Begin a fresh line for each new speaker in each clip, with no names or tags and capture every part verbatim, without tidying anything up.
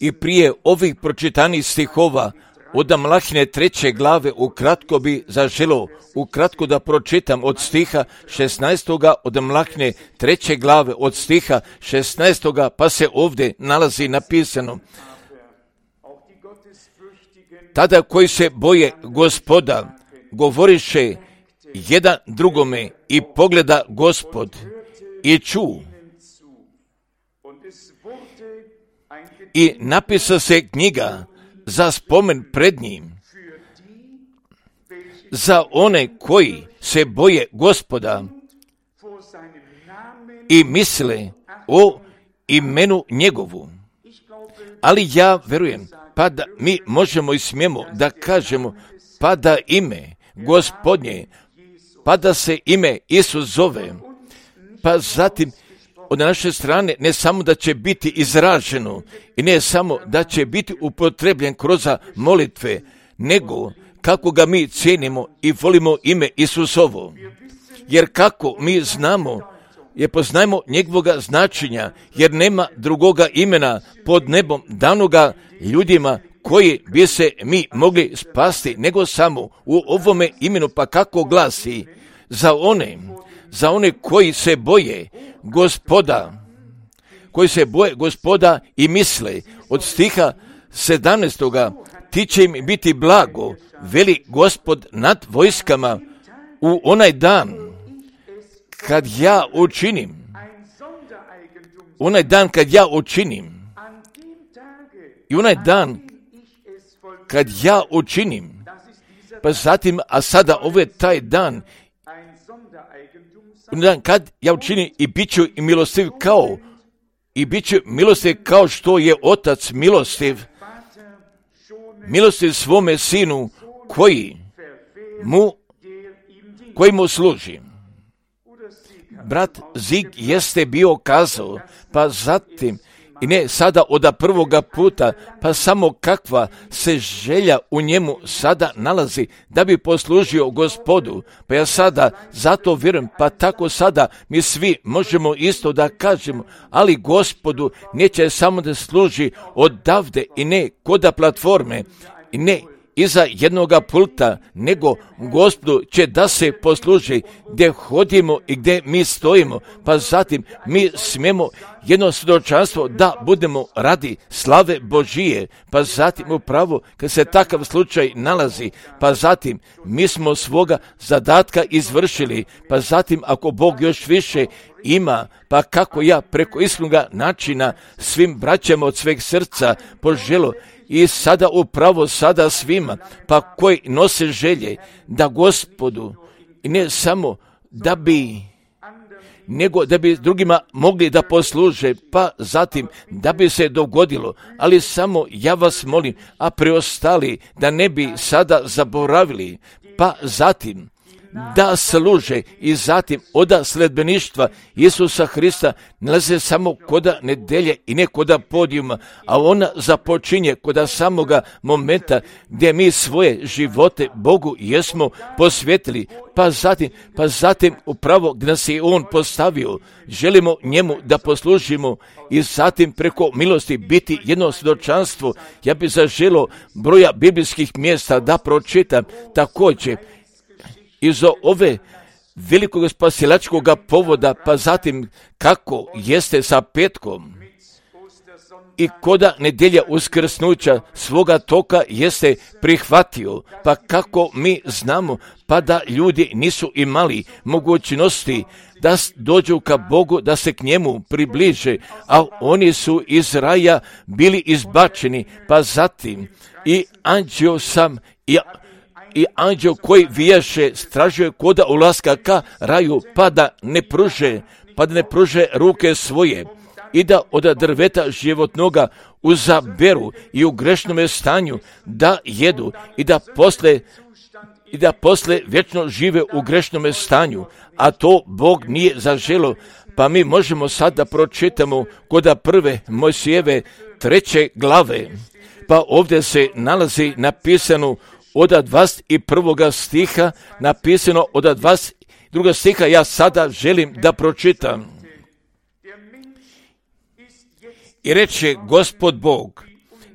I prije ovih pročitanih stihova od Malahine treće glave ukratko bi zaželo, ukratko da pročitam od stiha šesnaestoga od Malahine treće glave od stiha šesnaestoga pa se ovdje nalazi napisano: tada koji se boje Gospoda govoriše jedan drugome i pogleda Gospod i ču. I napisa se knjiga za spomen pred njim, za one koji se boje Gospoda i misle o imenu njegovu. Ali ja verujem, pa da mi možemo i smijemo da kažemo, pa da ime Gospodnje, pa da se ime Isus zove, pa zatim od naše strane ne samo da će biti izraženo i ne samo da će biti upotrebljen kroz molitve, nego kako ga mi cijenimo i volimo ime Isusovo. Jer kako mi znamo, jer poznajemo njegovoga značenja, jer nema drugoga imena pod nebom danoga ljudima koji bi se mi mogli spasti, nego samo u ovome imenu, pa kako glasi: za one, za one koji se boje Gospoda, koji se boje Gospoda i misle. Od stiha sedamnaestoga ti će im biti blago, veli Gospod nad vojskama, u onaj dan kad ja učinim, onaj dan kad ja učinim, i onaj dan kad ja učinim, pa zatim, a sada ovo je taj dan, dan kad ja učinim i bit ću i milostiv kao, i bit ću milostiv kao što je Otac milostiv, milostiv svome Sinu koji mu, koji mu služi. Brat Zig jeste bio kazao, pa zatim, i ne sada od prvoga puta, pa samo kakva se želja u njemu sada nalazi da bi poslužio Gospodu. Pa ja sada zato vjerujem, pa tako sada mi svi možemo isto da kažemo, ali Gospodu neće samo da služi odavde i ne koda platforme i ne iza jednoga pulta, nego Gospodu će da se posluži gdje hodimo i gdje mi stojimo, pa zatim mi smijemo jedno svjedočanstvo da budemo radi slave Božije, pa zatim upravo kad se takav slučaj nalazi, pa zatim mi smo svoga zadatka izvršili, pa zatim ako Bog još više ima, pa kako ja preko iskrenog načina svim braćama od sveg srca poželo i sada upravo sada svima, pa koji nose želje da Gospodu, i ne samo da bi, nego da bi drugima mogli da posluže, pa zatim da bi se dogodilo, ali samo ja vas molim, a preostali da ne bi sada zaboravili, pa zatim da služe i zatim oda sledbeništva Isusa Hrista nalaze samo koda nedelje i ne koda podijuma, a ona započinje koda samoga momenta gdje mi svoje živote Bogu jesmo posvetili, pa zatim, pa zatim upravo gdje nas je On postavio, želimo njemu da poslužimo i zatim preko milosti biti jedno svjedočanstvo. Ja bih zaželio broja biblijskih mjesta da pročitam također iz ove velikog spasilačkog povoda, pa zatim kako jeste sa petkom i koda nedelja uskrsnuća svoga toka jeste prihvatio, pa kako mi znamo, pa da ljudi nisu imali mogućnosti da dođu ka Bogu, da se k njemu približe, a oni su iz raja bili izbačeni, pa zatim i anđeo sam i I anđeo koji vijaše stražuje koda ulaska ka raju, pa da ne pruže, pa da ne pruže ruke svoje i da od drveta životnoga uzaberu i u grešnome stanju da jedu i da posle i da posle vječno žive u grešnome stanju, a to Bog nije zaželo. Pa mi možemo sad da pročitamo koda prve Mojsijeve treće glave, pa ovdje se nalazi napisano od dvadeset prvoga stiha, napisano od dvadeset drugog stiha, ja sada želim da pročitam. I reče Gospod Bog,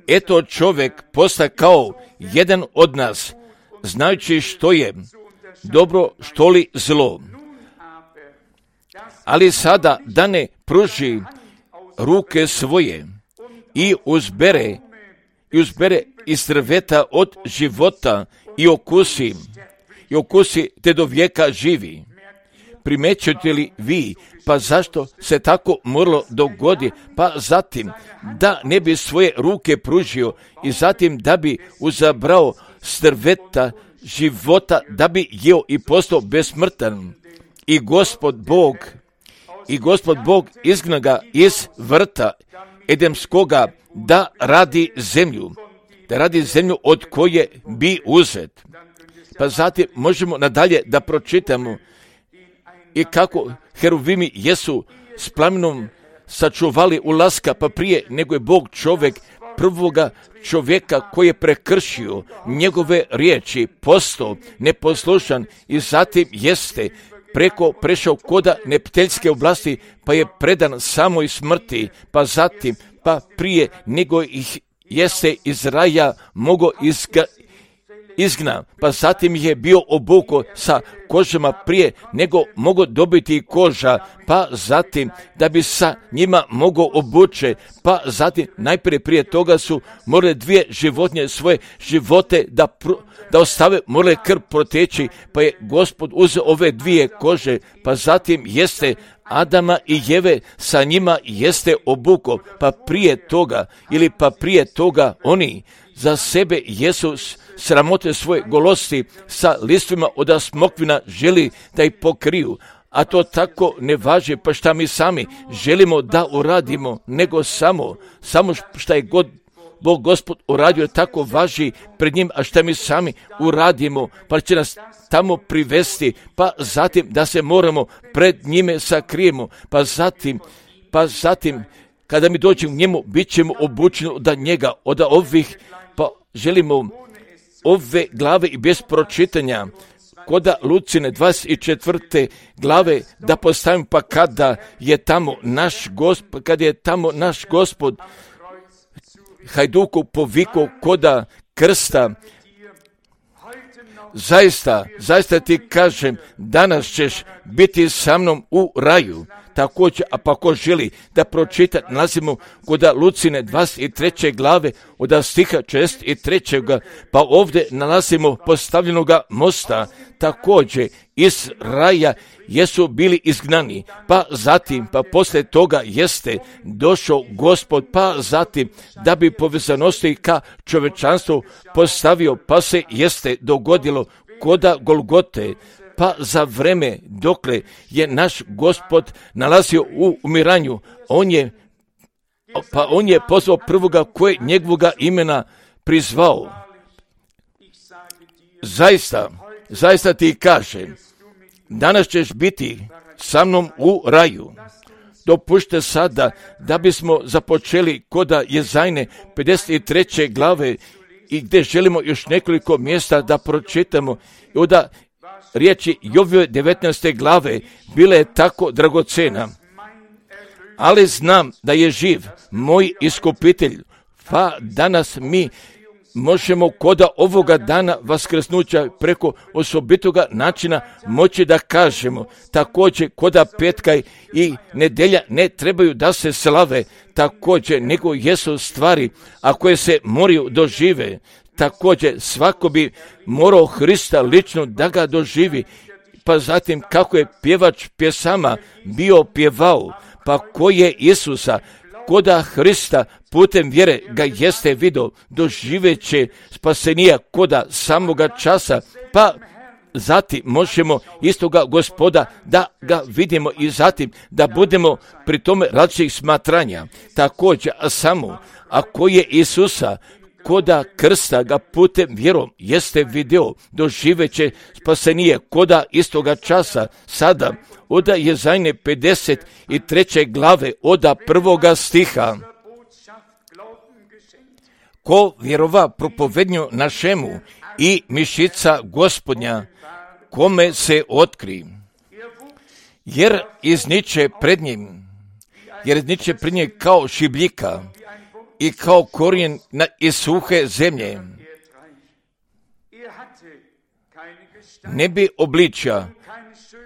eto čovjek posta kao jedan od nas, znajući što je dobro, što li zlo. Ali sada da ne pruži ruke svoje i uzbere, i uzbere iz drveta od života i okusi, i okusi te do vijeka živi. Primećujete li vi, pa zašto se tako moralo dogodi, pa zatim da ne bi svoje ruke pružio i zatim da bi uzabrao s drveta života, da bi jeo i postao besmrtan. I Gospod Bog, i Gospod Bog izgna ga iz vrta Edemskoga da radi zemlju, da radi zemlju od koje bi uzet. Pa zatim možemo nadalje da pročitamo i kako heruvimi jesu s plamenom sačuvali ulaska, pa prije nego je Bog čovjek prvoga čovjeka koji je prekršio njegove riječi, postao neposlušan i zatim jeste preko prešao koda nepteljske oblasti, pa je predan samoj smrti, pa zatim, pa prije nego ih jeste iz raja mogo izga, izgna, pa zatim je bio obuko sa kožama prije nego mogo dobiti koža, pa zatim da bi sa njima mogo obuče, pa zatim najprije prije toga su morale dvije životinje svoje živote da, pr- da ostave, morale krv proteći, pa je Gospod uzeo ove dvije kože, pa zatim jeste Adama i Jeve sa njima jeste obuko, pa prije toga ili pa prije toga oni za sebe jesu sramote svoje golosti sa listvima od smokvina želi da ih pokriju, a to tako ne važi, pa šta mi sami želimo da uradimo, nego samo, samo šta je god Bog Gospod uradio tako važi pred njim, a šta mi sami uradimo, pa će nas tamo privesti, pa zatim da se moramo pred njime sakrijemo, pa zatim, pa zatim kada mi dođemo njemu, bit ćemo obučeni od njega, od ovih, pa želimo ove glave i bez pročitanja, koda Lucine dvadeset četvrte glave da postavim, pa kada je tamo naš Gospod, kada je tamo naš Gospod hajduku povikao koda krsta, zaista, zaista ti kažem, danas ćeš biti sa mnom u raju. Također, a pa ko želi da pročita, nalazimo kod Lucine dvadeset treće glave od stiha četrdeset trećeg pa ovdje nalazimo postavljenoga mosta, također iz raja jesu bili izgnani, pa zatim, pa poslije toga jeste došao Gospod, pa zatim da bi povezanosti ka čovečanstvu postavio, pa se jeste dogodilo koda Golgote, pa za vreme dokle je naš Gospod nalazio u umiranju, on je, pa on je pozvao prvoga koje njegovoga imena prizvao. Zaista, zaista ti kažem, danas ćeš biti sa mnom u raju. Dopušte sada da bismo započeli koda Jezajne pedeset treće glave i gdje želimo još nekoliko mjesta da pročitamo i onda riječi Jovove devetnaeste glave bile je tako dragocena. Ali znam da je živ moj iskupitelj, pa danas mi možemo koda ovoga dana vaskrsnuća preko osobitoga načina moći da kažemo. Također koda petka i nedelja ne trebaju da se slave, također nego jesu stvari, a koje se moraju dožive. Također svako bi morao Hrista lično da ga doživi, pa zatim kako je pjevač pjesama bio pjevao, pa ko je Isusa, koda Hrista putem vjere ga jeste vidio, doživeće spasenija koda samoga časa, pa zatim možemo istoga Gospoda da ga vidimo i zatim da budemo pri tome različitih smatranja. Također, a samo ako je Isusa koda krsta ga putem vjerom jeste vidio, doživeće spasenije koda istoga časa sada oda Jezajne pedeset treće glave oda prvoga stiha. Ko vjerova propovednju našemu i mišica Gospodnja, kome se otkri, jer izniče pred njim jer niče prinje kao šibljika i kao korijen na iz suhe zemlje. Ne bi obličja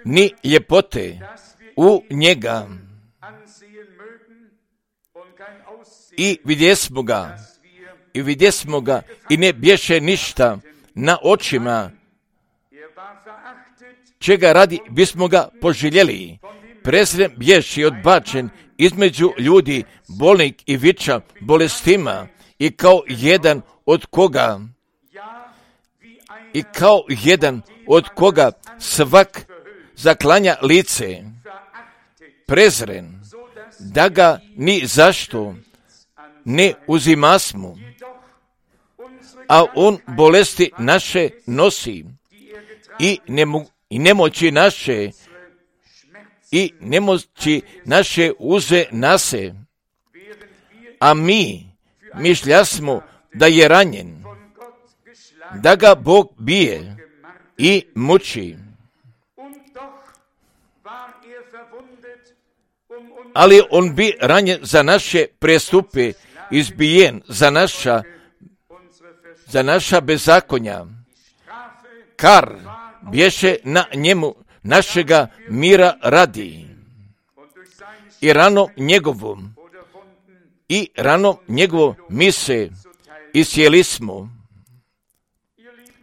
ni ljepote u njega i vidjesmo ga i vidjesmo ga i ne bješe ništa na očima, čega radi bismo ga poželjeli. Prezren bješi odbačen između ljudi, bolnik i viča bolestima i kao jedan od koga i kao jedan od koga svak zaklanja lice, prezren, da ga ni zašto ne uzimasmo, a on bolesti naše nosi i, nemo, i nemoći naše i nemoći naše uze nase, a mi mišljasmo da je ranjen, da ga Bog bije i muči. Ali on bi ranjen za naše prestupe, izbijen za naša, za naša bezakonja. Kar bješe na njemu našega mira radi. I rano njegovom, i rano njegovo mi se isjeli smo.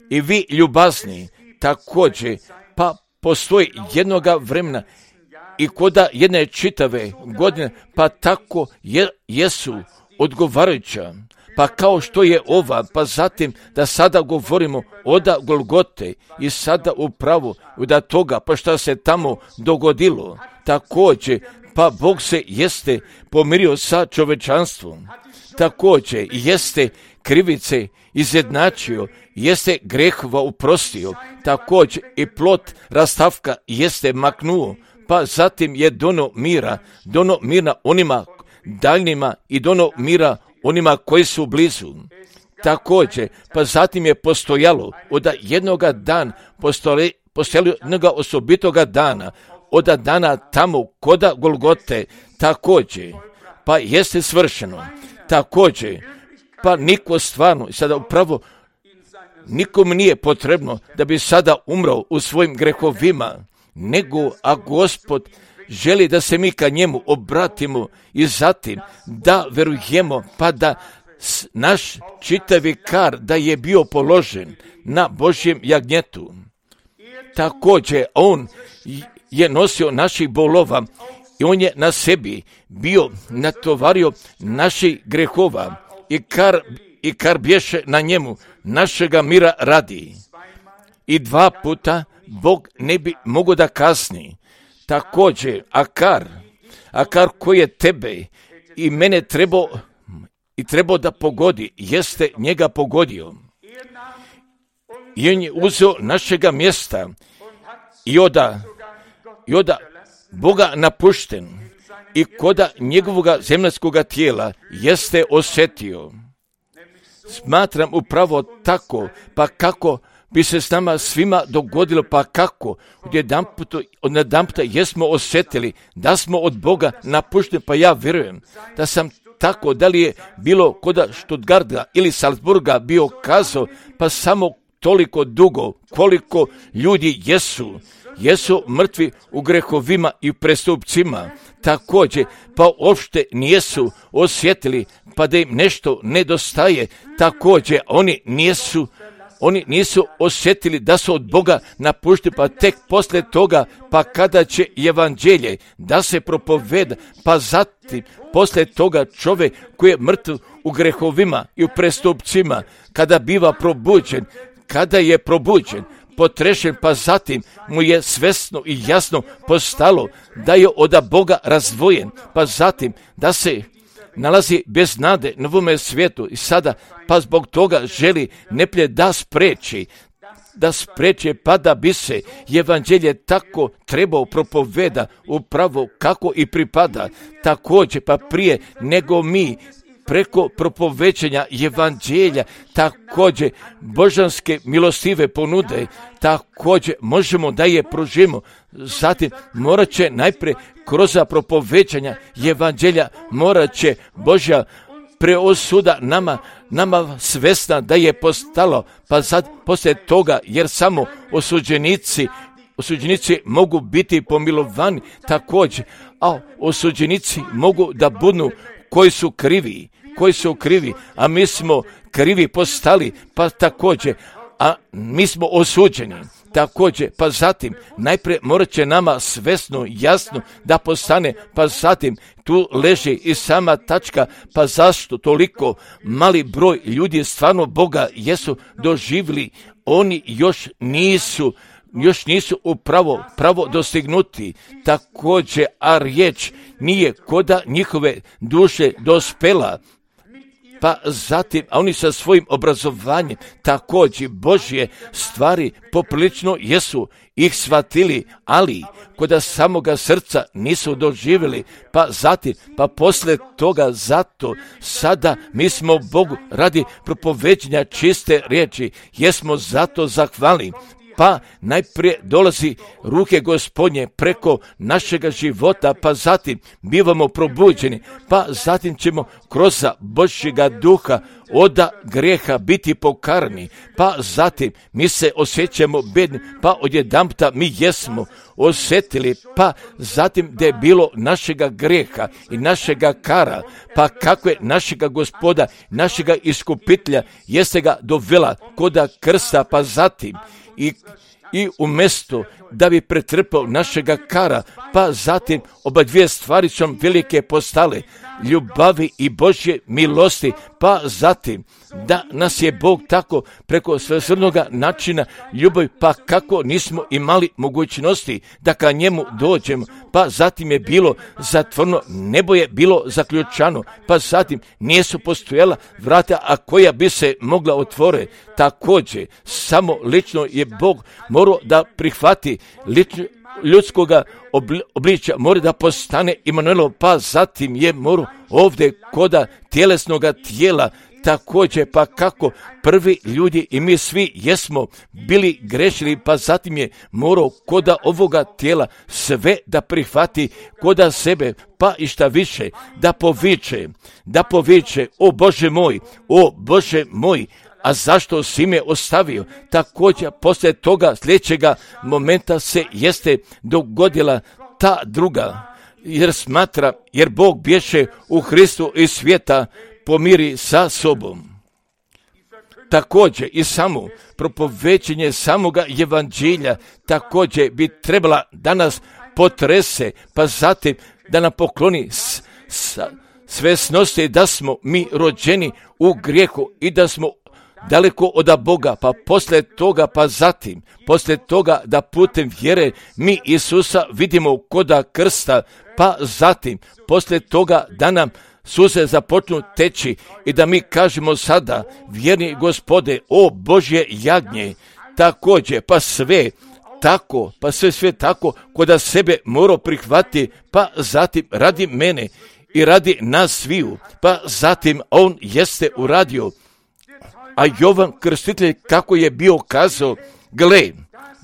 I vi ljubazni također, pa postoji jednoga vremena i koda jedne čitave godine, pa tako je, jesu odgovarajuća, pa kao što je ova, pa zatim da sada govorimo oda Golgote i sada upravo da toga, pa šta se tamo dogodilo, također, pa Bog se jeste pomirio sa čovečanstvom, također jeste krivice izjednačio, jeste grehova uprostio, također i plot rastavka jeste maknuo, pa zatim je dono mira, dono mira onima daljnima i dono mira onima koji su blizu. Također, pa zatim je postojalo od jednoga dana, postojalo, postojalo jednoga osobitoga dana, od dana tamo koda Golgote, također, pa jeste svršeno, također, pa niko stvarno, sada upravo, nikom nije potrebno da bi sada umro u svojim grehovima, nego a Gospod želi da se mi ka njemu obratimo i zatim da verujemo, pa da naš čitavi kar da je bio položen na Božjem jagnjetu. Također on je nosio naših bolova i on je na sebi bio natovario naših grehova i kar, i kar bješe na njemu našega mira radi. I dva puta Bog ne bi mogao da kasni. Također, a kar, a kar koji je tebe i mene trebao i trebao da pogodi, jeste njega pogodio. I on je uzeo našega mjesta i oda, i oda Boga napušten i koda njegovoga zemljskoga tijela jeste osjetio. Smatram upravo tako, pa kako bi se s nama svima dogodilo, pa kako od jedanputa jesmo osjetili da smo od Boga napušteni, pa ja vjerujem da sam tako, da li je bilo koda Stuttgarta ili Salzburga bio kazao, pa samo toliko dugo koliko ljudi jesu, jesu mrtvi u grehovima i prestupcima, također, pa uopšte nijesu osjetili, pa da im nešto nedostaje, također, oni nijesu Oni nisu osjetili da su od Boga napušteni, pa tek poslije toga, pa kada će evanđelje da se propoveda, pa zatim poslije toga čovjek koji je mrtav u grehovima i u prestupcima, kada biva probuđen, kada je probuđen, potrešen, pa zatim mu je svesno i jasno postalo da je od Boga razdvojen, pa zatim da se nalazi bez nade na ovome svijetu i sada pa zbog toga želi neplje da spreči, da spreče pa da bi se evanđelje tako trebao propoveda upravo kako i pripada, također pa prije nego mi preko propovećanja evanđelja, također božanske milostive ponude, također možemo da je pružimo. Zatim morat će najprije kroz propovećanja evanđelja, morat će Božja preosuda nama, nama svesna da je postalo, pa sad poslije toga, jer samo osuđenici, osuđenici mogu biti pomilovani također, a osuđenici mogu da budu koji su krivi, koji su krivi, a mi smo krivi postali, pa također, a mi smo osuđeni. Također, pa zatim, najprije morat će nama svesno, jasno da postane, pa zatim tu leži i sama tačka, pa zašto toliko mali broj ljudi stvarno Boga jesu doživjeli, oni još nisu, još nisu upravo pravo dostignuti, također, a riječ nije koda njihove duše dospela, pa zatim, a oni sa svojim obrazovanjem također Božje stvari poprilično jesu ih shvatili, ali koda samoga srca nisu doživjeli, pa zatim, pa poslije toga zato sada mi smo Bogu radi propoveđenja čiste riječi, jesmo zato zahvalni. Pa najprije dolazi ruke Gospodnje preko našega života, pa zatim bivamo probuđeni, pa zatim ćemo kroz Božjega duha oda grijeha biti pokarani, pa zatim mi se osjećamo bedni, pa odjedanputa mi jesmo osjetili, pa zatim da je bilo našega grijeha i našega kara, pa kako je našega Gospoda, našega iskupitelja, jeste ga dovela koda krsta, pa zatim i i umjesto da bi pretrpao našega kara, pa zatim oba dvije stvari su velike postale, ljubavi i Božje milosti, pa zatim da nas je Bog tako preko svesrdnoga načina ljubavi, pa kako nismo imali mogućnosti da ka njemu dođemo, pa zatim je bilo zatvorno, nebo je bilo zaključano, pa zatim nisu postojala vrata, a koja bi se mogla otvoriti. Također, samo lično je Bog morao da prihvati lično, ljudskoga obličja, mora da postane Imanuelo, pa zatim je morao ovdje koda tjelesnoga tijela, također, pa kako prvi ljudi i mi svi jesmo bili grešili, pa zatim je morao koda ovoga tijela sve da prihvati koda sebe, pa i šta više da poviče, da poviče, o Bože moj, o Bože moj, a zašto si me ostavio? Također, poslije toga sljedećega momenta se jeste dogodila ta druga, jer smatra, jer Bog bješe u Hristu i svijeta pomiri sa sobom. Također i samo propovećenje samoga evanđelja također bi trebala da nas potrese, pa zatim da nam pokloni s, s, svesnosti da smo mi rođeni u grijehu i da smo daleko od Boga, pa poslije toga, pa zatim, poslije toga da putem vjere mi Isusa vidimo koda krsta, pa zatim, poslije toga da nam suze započnu teći i da mi kažemo sada, vjerni Gospode, o Božje jagnje, također, pa sve tako, pa sve sve tako, koda sebe mora prihvati, pa zatim radi mene i radi nas sviju, pa zatim on jeste uradio. A Jovan Krstitelj kako je bio kazao, gle,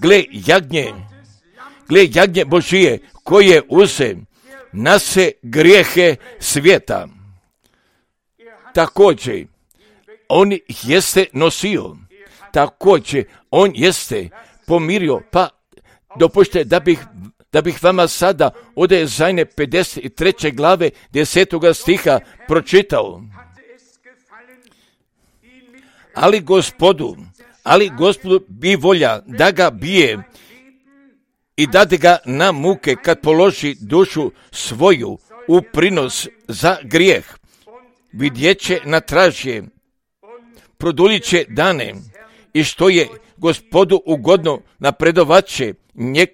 gle jagnje, gle jagnje Božije koje uze nase grijehe svijeta. Također, on jeste nosio, također, on jeste pomirio, pa dopušte da bih, da bih vama sada od Ezajne pedeset treće glave desetoga stiha pročitao. Ali Gospodu, ali Gospodu bi volja da ga bije i dade ga na muke kad položi dušu svoju u prinos za grijeh. Vidjet će na tražje, produljit će dane i što je Gospodu ugodno napredovat će njeg,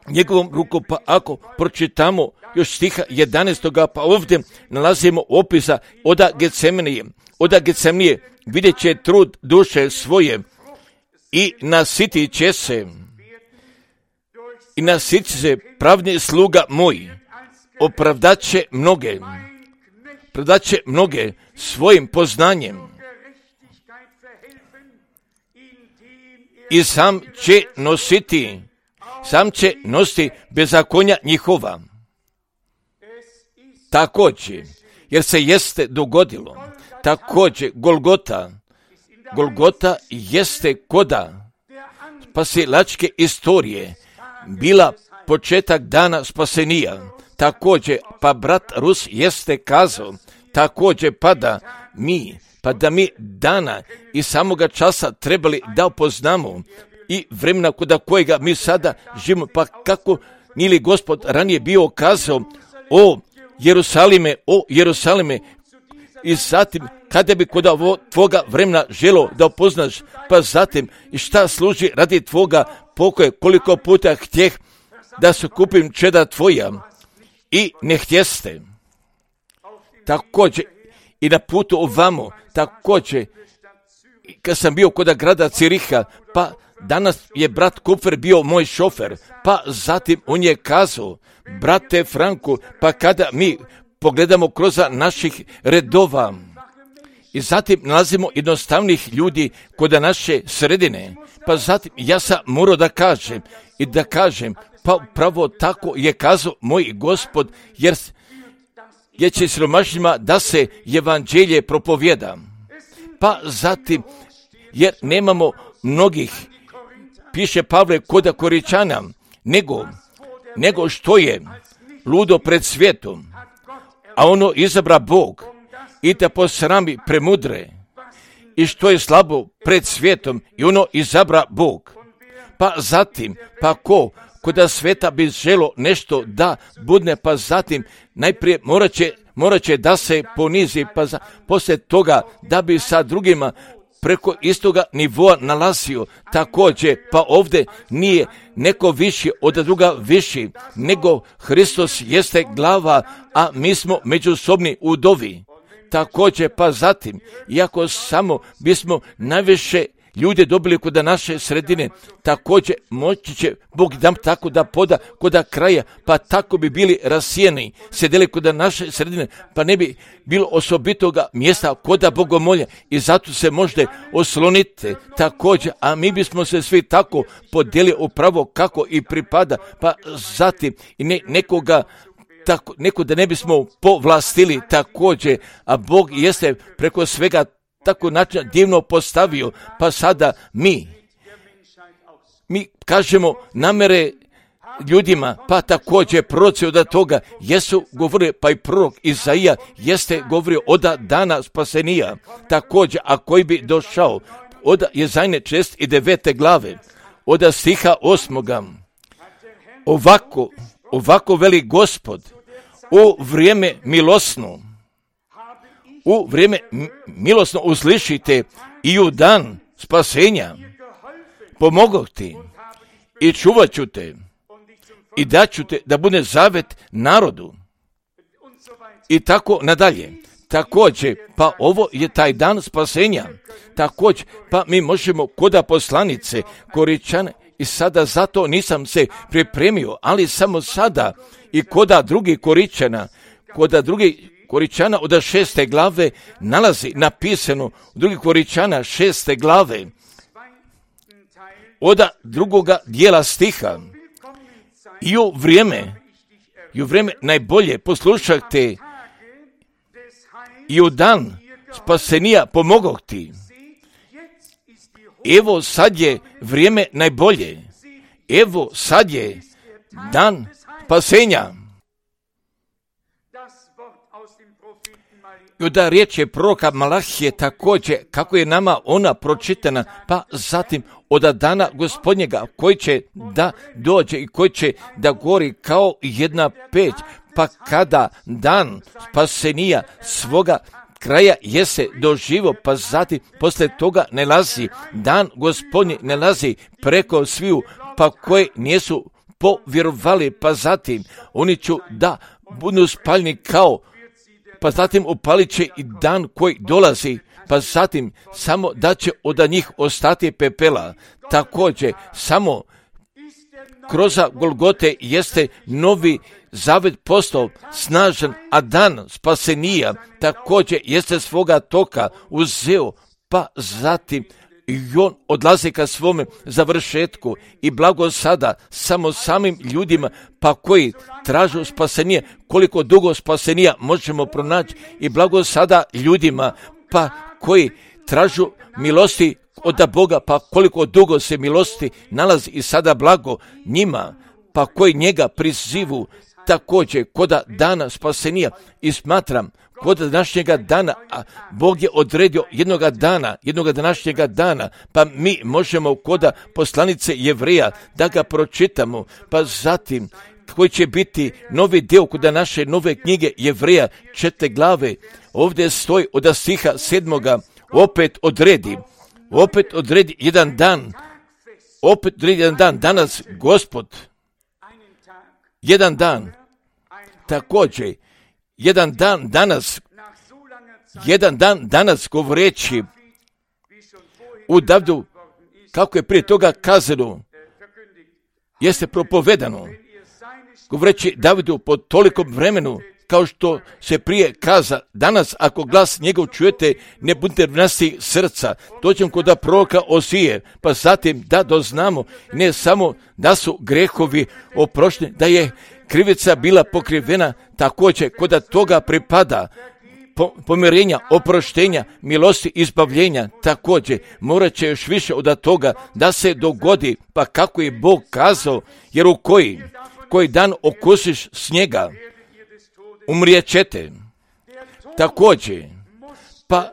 njegovom rukom. Pa ako pročitamo još stiha jedanaestoga, pa ovdje nalazimo opisa oda Getsemanije, oda Getsemanije, vidjet će trud duše svoje i nasitit će se, i nasitit se pravni sluga moj, opravdat će mnoge. predaće mnoge svojim poznanjem i sam će nositi, sam će nositi bezakonja njihova. Također, jer se jeste dogodilo, također Golgota, Golgota jeste koda spasilačke istorije, bila početak dana spasenija. Također, pa brat Rus jeste kazao, također pa da mi, pa da mi dana i samoga časa trebali da upoznamo i vremena kod kojega mi sada živimo, pa kako nije li Gospod ranije bio kazao, o Jerusalime, o Jerusalime, i zatim kada bi kod tvoga vremena želo da upoznaš, pa zatim i šta služi radi tvoga pokoja, koliko puta htjeh da se kupim čeda tvoja i ne htjeste. Također i na putu ovamo, također kad sam bio kod grada Ciriha, pa danas je brat Kupfer bio moj šofer, pa zatim on je kazao, brate Franku, pa kada mi pogledamo kroz naših redova i zatim nalazimo jednostavnih ljudi kod naše sredine, pa zatim ja sam morao da kažem i da kažem, pa pravo tako je kazao moj Gospod, jer, jer će siromašnima da se evanđelje propovjeda. Pa zatim, jer nemamo mnogih, piše Pavle kod Koričana, nego, nego što je ludo pred svijetom, a ono izabra Bog i te posrami premudre, i što je slabo pred svijetom i ono izabra Bog. Pa zatim, pa ko koda sveta bi želo nešto da budne, pa zatim najprije morat će, morat će da se ponizi, pa za, poslije toga da bi sa drugima preko istoga nivoa nalazio. Također, pa ovdje nije neko viši od druga viši, nego Hristos jeste glava, a mi smo međusobni udovi. Također, pa zatim, iako samo bismo najviše ljude dobili kod naše sredine, također moći će Bog dam tako da poda kod kraja, pa tako bi bili rasijeni, sedeli kod naše sredine, pa ne bi bilo osobitoga mjesta kod bogomolja, i zato se možete osloniti također, a mi bismo se svi tako podijeli upravo kako i pripada, pa zatim i ne, nekoga tako, neko da ne bismo povlastili također, a Bog jeste preko svega tako način divno postavio, pa sada mi, mi kažemo namere ljudima, pa također proroci od toga jesu govorili, pa i prorok Izaija jeste govorio od dana spasenija, također, a koji bi došao, od Jezajne čest i devete glave, od stiha osmoga, ovako, ovako veli Gospod, u vrijeme milosno, u vrijeme milosno uslišite i u dan spasenja pomogoh ti i čuvat ću te i daću te da bude zavet narodu i tako nadalje. Također, pa ovo je taj dan spasenja. Također, pa mi možemo koda poslanice Koričane, i sada zato nisam se pripremio, ali samo sada i koda drugi Koričana, koda drugi Koričana od šeste glave nalazi napisano u drugi Koričana šeste glave od drugoga dijela stiha. I u vrijeme, i u vrijeme najbolje poslušajte i u dan spasenija pomogoh ti. Evo sad je vrijeme najbolje. Evo sad je dan spasenja. I da riječ je proroka Malahije također, kako je nama ona pročitana, pa zatim od dana Gospodnjega koji će da dođe i koji će da gori kao jedna peć, pa kada dan spasenija svoga kraja jese doživo, pa zatim poslije toga ne lazi, dan Gospodnji ne lazi preko sviju, pa koje nisu povjerovali, pa zatim oni ću da budu spaljeni kao, pa zatim upalit će i dan koji dolazi, pa zatim samo da će od njih ostati pepela. Također, samo kroz Golgote jeste novi zavet postao snažan, a dan spasenija također jeste svoga toka uzeo, pa zatim i on odlazi ka svome završetku i blago sada samo samim ljudima pa koji tražu spasenije, koliko dugo spasenija možemo pronaći i blago sada ljudima pa koji tražu milosti od Boga, pa koliko dugo se milosti nalazi i sada blago njima, pa koji njega prizivu također koda dana spasenija i smatram kod današnjega dana, a Bog je odredio jednoga dana, jednoga današnjega dana, pa mi možemo koda poslanice Jevreja da ga pročitamo, pa zatim koji će biti novi dio kod naše nove knjige Jevreja četiri glave, ovdje stoji od stiha sedmoga, opet odredi, opet odredi jedan dan, opet odredi jedan dan, danas Gospod, jedan dan, također, jedan dan danas, jedan dan danas govoreći u Davidu, kako je prije toga kazano, jeste propovedano, govoreći Davidu po tolikom vremenu, kao što se prije kaza, danas ako glas njegov čujete, ne budite vlasti srca, dođem kod proroka Osije, pa zatim da doznamo, ne samo da su grehovi oprošteni, da je krivica bila pokrivena, također kod toga pripada pomirenja, oproštenja, milosti, izbavljenja, također morat će još više od toga da se dogodi, pa kako je Bog kazao, jer u koji, koji dan okusiš snijega, umrijet ćete. Također, pa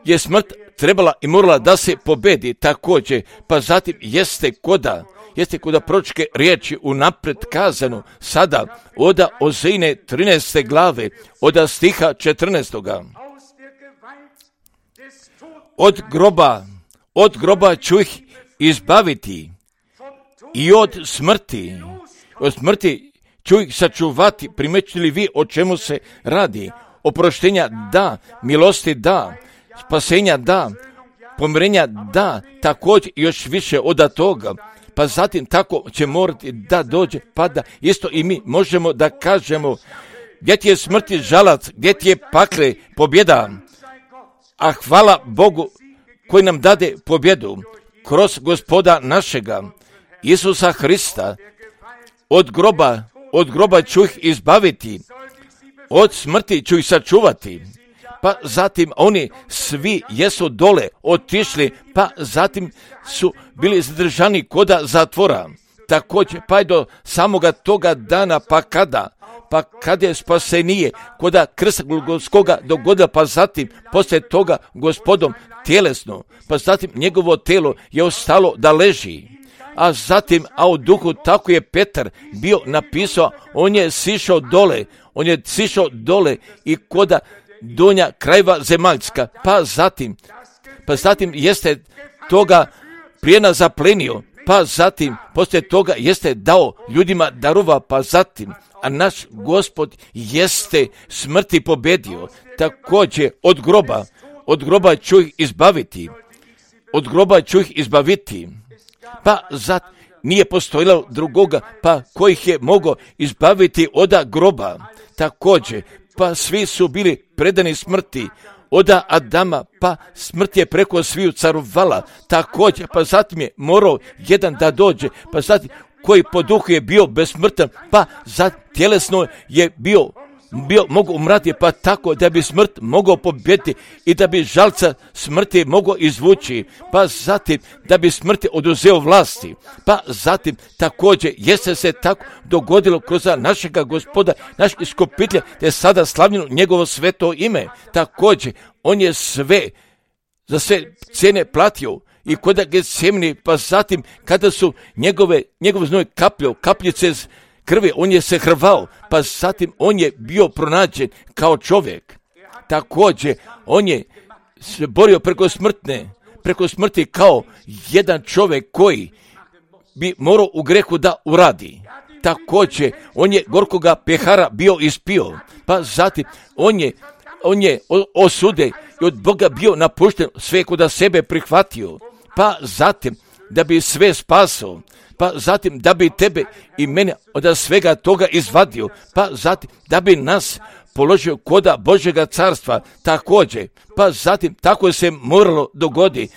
je smrt trebala i morala da se pobedi, također, pa zatim jeste koda, jeste koda proročke riječi unaprijed kazano, sada oda Ozejne trinaeste glave, oda stiha četrnaestoga. Od groba, od groba ću ih izbaviti i od smrti, od smrti ću ih sačuvati. Primećili vi o čemu se radi? Oproštenja da, milosti da, spasenja da, pomirenja da, također još više od toga. Pa zatim tako će morati da dođe, pa da isto i mi možemo da kažemo, gdje ti je smrti žalac, gdje ti je pakle pobjeda, a hvala Bogu koji nam dade pobjedu kroz Gospoda našega, Isusa Hrista, od groba, od groba ću ih izbaviti, od smrti ću ih sačuvati. Pa zatim oni svi jesu dole otišli, pa zatim su bili zadržani koda zatvora. Također, pa je do samoga toga dana, pa kada, pa kada je spasenije, koda krsta Golgotskoga dogodila, pa zatim poslije toga Gospodom tjelesno, pa zatim njegovo telo je ostalo da leži. A zatim, a u duhu tako je Petar bio napisao, on je sišao dole, on je sišao dole i koda donja krajeva zemaljska, pa zatim, pa zatim jeste toga plijena zaplenio, pa zatim poslije toga jeste dao ljudima darova, pa zatim, a naš Gospod jeste smrti pobedio, također od groba, od groba ću ih izbaviti, od groba ću ih izbaviti, pa zatim nije postojalo drugoga, pa kojih je mogao izbaviti oda groba, također, pa svi su bili predani smrti, oda Adama, pa smrt je preko sviju carovala, također, pa zatim je morao jedan da dođe, pa zatim koji po duhu je bio besmrtan, pa zatim tjelesno je bio, bio mogu umrati, pa tako da bi smrt mogao pobjediti i da bi žalca smrti mogao izvući, pa zatim da bi smrti oduzeo vlasti, pa zatim također jeste se tako dogodilo kroz našega Gospoda, naš iskupitelja, te sada slavljeno njegovo sveto ime, također on je sve, za sve cijene platio i kod Getsemani, pa zatim kada su njegove, njegov znoj kapljao, kapljice krvi, on je se hrvao, pa zatim on je bio pronađen kao čovjek. Također, on je se borio preko smrtne, preko smrti kao jedan čovjek koji bi morao u grehu da uradi. Također, on je gorkoga pehara bio ispio, pa zatim on je, on je osude i od Boga bio napušten, sve kod sebe prihvatio, pa zatim da bi sve spasao, pa zatim da bi tebe i mene od svega toga izvadio, pa zatim da bi nas položio koda Božjega carstva također, pa zatim tako se moralo dogodi.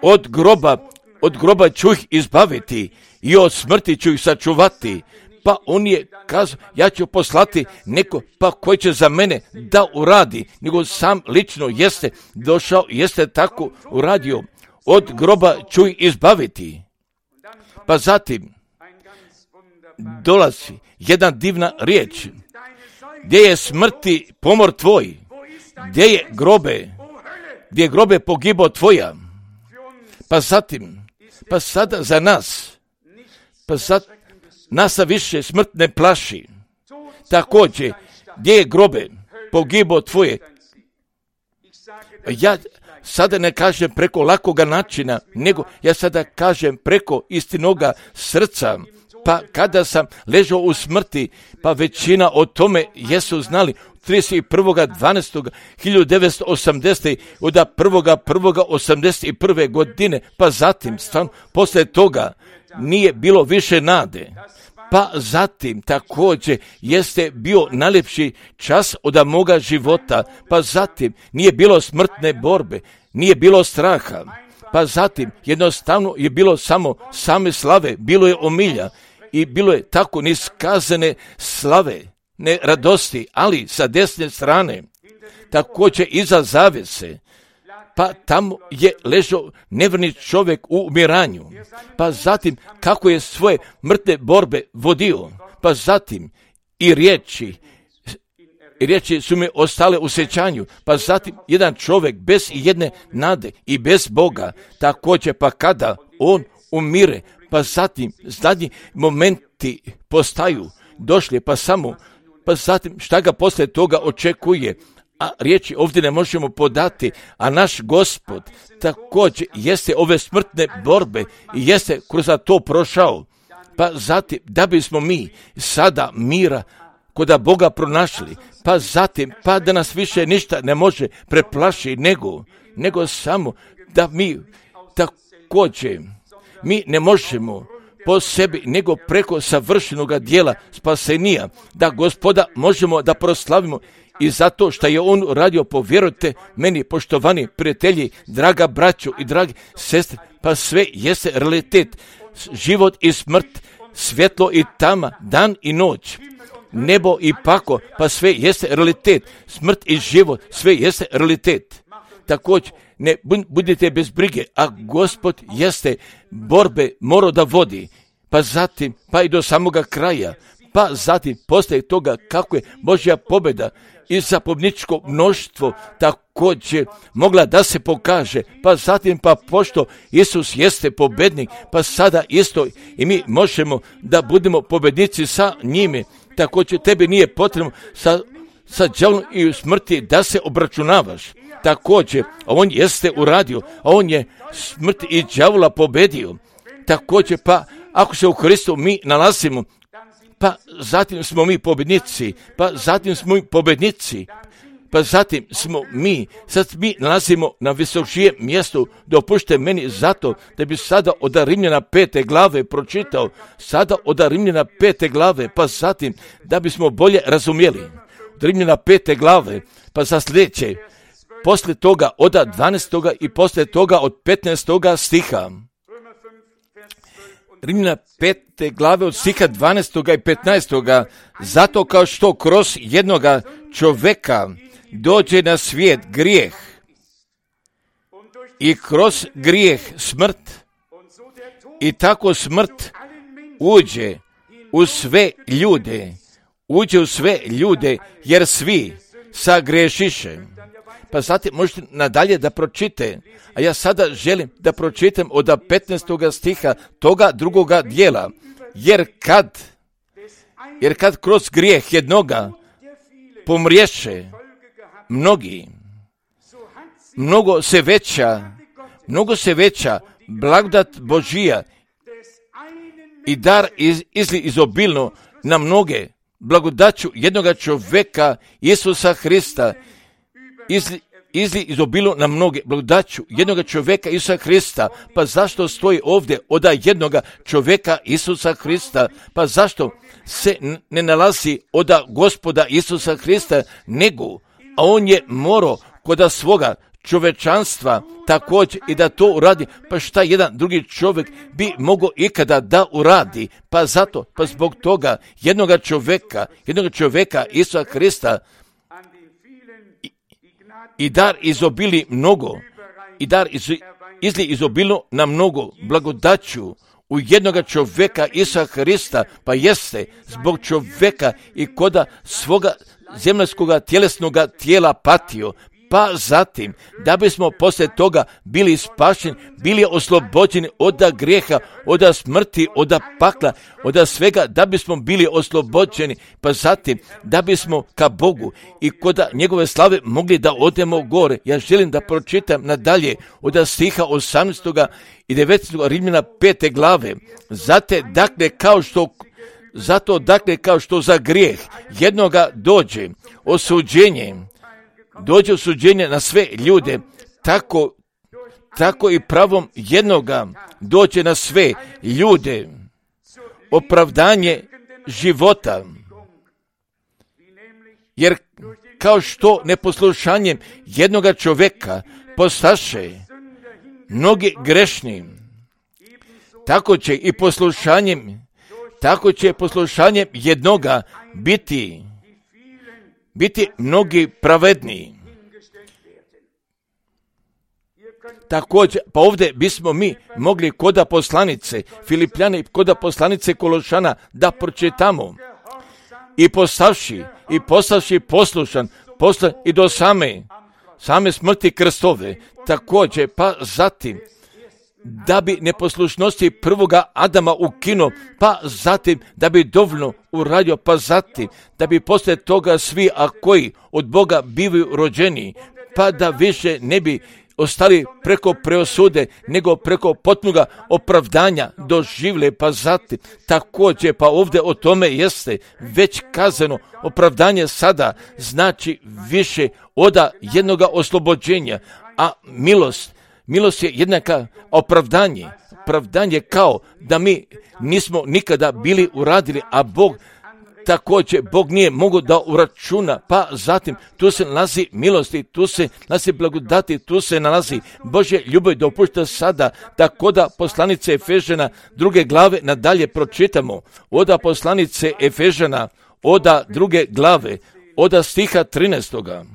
Od groba, od groba ću ih izbaviti i od smrti ću ih sačuvati. Pa on je kazao, ja ću poslati neko pa koji će za mene da uradi, nego sam lično jeste došao, jeste tako uradio. Od groba ću ih izbaviti. Pa zatim dolazi jedna divna riječ. Gdje je smrti pomor tvoj? Gdje je grobe? Gdje je grobe pogibo tvoja? Pa zatim, pa sada za nas, pa sad nas više smrt ne plaši. Također, gdje je grobe pogibo tvoje? Ja sada ne kažem preko lakoga načina, nego ja sada kažem preko istinoga srca. Pa kada sam ležao u smrti, pa većina o tome jesu znali. trideset prvog dvanaestog hiljadu devetsto osamdesete od prvog prvog osamdeset prve godine, pa zatim, stvarno, poslije toga nije bilo više nade. Pa zatim također jeste bio najljepši čas od moga života, pa zatim nije bilo smrtne borbe, nije bilo straha, pa zatim jednostavno je bilo samo same slave, bilo je omilja i bilo je tako niskazane slave, ne radosti, ali sa desne strane, također iza zavese, pa tamo je ležao nevrni čovjek u umiranju, pa zatim kako je svoje mrtve borbe vodio, pa zatim i riječi, i riječi su mi ostale u sjećanju, pa zatim jedan čovjek bez jedne nade i bez Boga, također pa kada on umire, pa zatim zadnji momenti postaju došli, pa samo, pa zatim šta ga poslije toga očekuje, a riječi ovdje ne možemo podati, a naš Gospod također jeste ove smrtne borbe i jeste kroz to prošao, pa zatim da bismo mi sada mira koda Boga pronašli, pa zatim pa da nas više ništa ne može preplaši nego, nego samo da mi također mi ne možemo po sebi, nego preko savršenoga dijela spasenija, da Gospoda možemo da proslavimo i zato što je on radio, povjerujte meni, poštovani prijatelji, draga braćo i dragi sestre, pa sve jeste realitet, život i smrt, svjetlo i tama, dan i noć, nebo i pako, pa sve jeste realitet, smrt i život, sve jeste realitet. Također, ne budite bez brige, a Gospod jeste borbe morao da vodi, pa zatim, pa i do samoga kraja, pa zatim poslije toga kako je Božja pobjeda i zapovjedničko mnoštvo također mogla da se pokaže, pa zatim pa pošto Isus jeste pobjednik, pa sada isto i mi možemo da budemo pobjednici sa njime. Također tebi nije potrebno sa, sa đavolom i u smrti da se obračunavaš. Također, on jeste uradio, a on je smrt i đavola pobedio. Također, pa ako se u Hristu mi nalazimo, pa zatim smo mi pobjednici, pa zatim smo mi pobjednici, pa zatim smo mi, sad mi nalazimo na visočijem mjestu, dopušte meni zato da bi sada od Rimljana pete glave pročitao, sada od Rimljana pete glave, pa zatim da bismo bolje razumjeli. Od Rimljana pete glave, pa za sljedeće, poslije toga od dvanaestoga i poslije toga od petnaestoga stiha. Rimljana pete glave od stiha dvanaestoga i petnaestoga. Zato kao što kroz jednoga čovjeka dođe na svijet grijeh i kroz grijeh smrt i tako smrt uđe u sve ljude, uđe u sve ljude jer svi sagrešiše. Pa zatim možete nadalje da pročite, a ja sada želim da pročitam od petnaestoga stiha toga drugoga dijela, jer kad, jer kad kroz grijeh jednoga pomriješe mnogi, mnogo se veća, mnogo se veća blagodat Božija i dar iz, izli izobilno na mnoge blagodaću jednoga čovjeka Isusa Hrista izli, izli izobilu na mnoge blagodaću jednoga čovjeka Isusa Hrista. Pa zašto stoji ovdje od jednoga čovjeka Isusa Hrista? Pa zašto se ne nalazi od Gospoda Isusa Hrista, nego, a on je morao kod svoga čovečanstva također i da to uradi. Pa šta jedan drugi čovjek bi mogao ikada da uradi? Pa zato, pa zbog toga jednoga čovjeka, jednoga čovjeka Isusa Hrista i, i dar izobili mnogo, i dar iz, izli izobilno na mnogo blagodaću u jednoga čovjeka Isusa Hrista, pa jeste zbog čovjeka i koda svoga zemaljskoga tjelesnoga tijela patio, pa zatim da bismo poslije toga bili spašeni, bili oslobođeni od grijeha, od smrti, od pakla, od svega, da bismo bili oslobođeni, pa zatim da bismo ka Bogu i kod njegove slave mogli da odemo gore. Ja želim da pročitam nadalje od stiha osamnaestog i devetnaestog Rimljana pete glave. Zate, dakle, kao što Zato dakle kao što za grijeh jednoga dođe osuđenje, dođe osuđenje na sve ljude, tako, tako i pravom jednoga dođe na sve ljude opravdanje života. Jer kao što neposlušanjem jednoga čovjeka postaše mnogi grešni, tako će i poslušanjem Tako će poslušanjem jednoga biti, biti mnogi pravedniji. Također, pa ovdje bismo mi mogli koda poslanice Filipljane i koda poslanice Kološana da pročitamo. I postavši, i postavši poslušan, poslan i do same, same smrti krstove. Također, pa zatim, da bi neposlušnosti prvoga Adama ukinuo, pa zatim da bi dovoljno uradio, pa zatim da bi poslije toga svi, a koji od Boga bivaju rođeni, pa da više ne bi ostali preko preosude, nego preko potpunoga opravdanja doživle, pa zatim također, pa ovdje o tome jeste već kazano, opravdanje sada znači više od jednoga oslobođenja, a milost Milost je jednaka opravdanje. Opravdanje kao da mi nismo nikada bili uradili, a Bog također, Bog nije mogao da uračuna, pa zatim tu se nalazi milosti, tu se nalazi blagodati, tu se nalazi Božje ljubav. Dopušta sada da koda poslanice Efežana druge glave nadalje pročitamo. Oda poslanice Efežana, oda druge glave, oda stiha trinaestoga.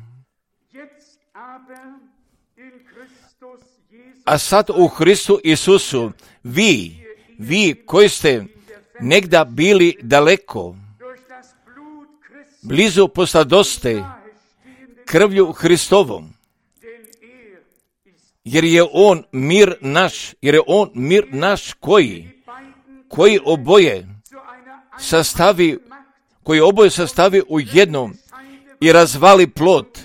A sad u Hristu Isusu, vi, vi koji ste negda bili daleko, blizu posladoste krvlju Hristovom, jer je on mir naš, jer je on mir naš koji, koji oboje sastavi, koji oboje sastavi u jednom i razvali plod,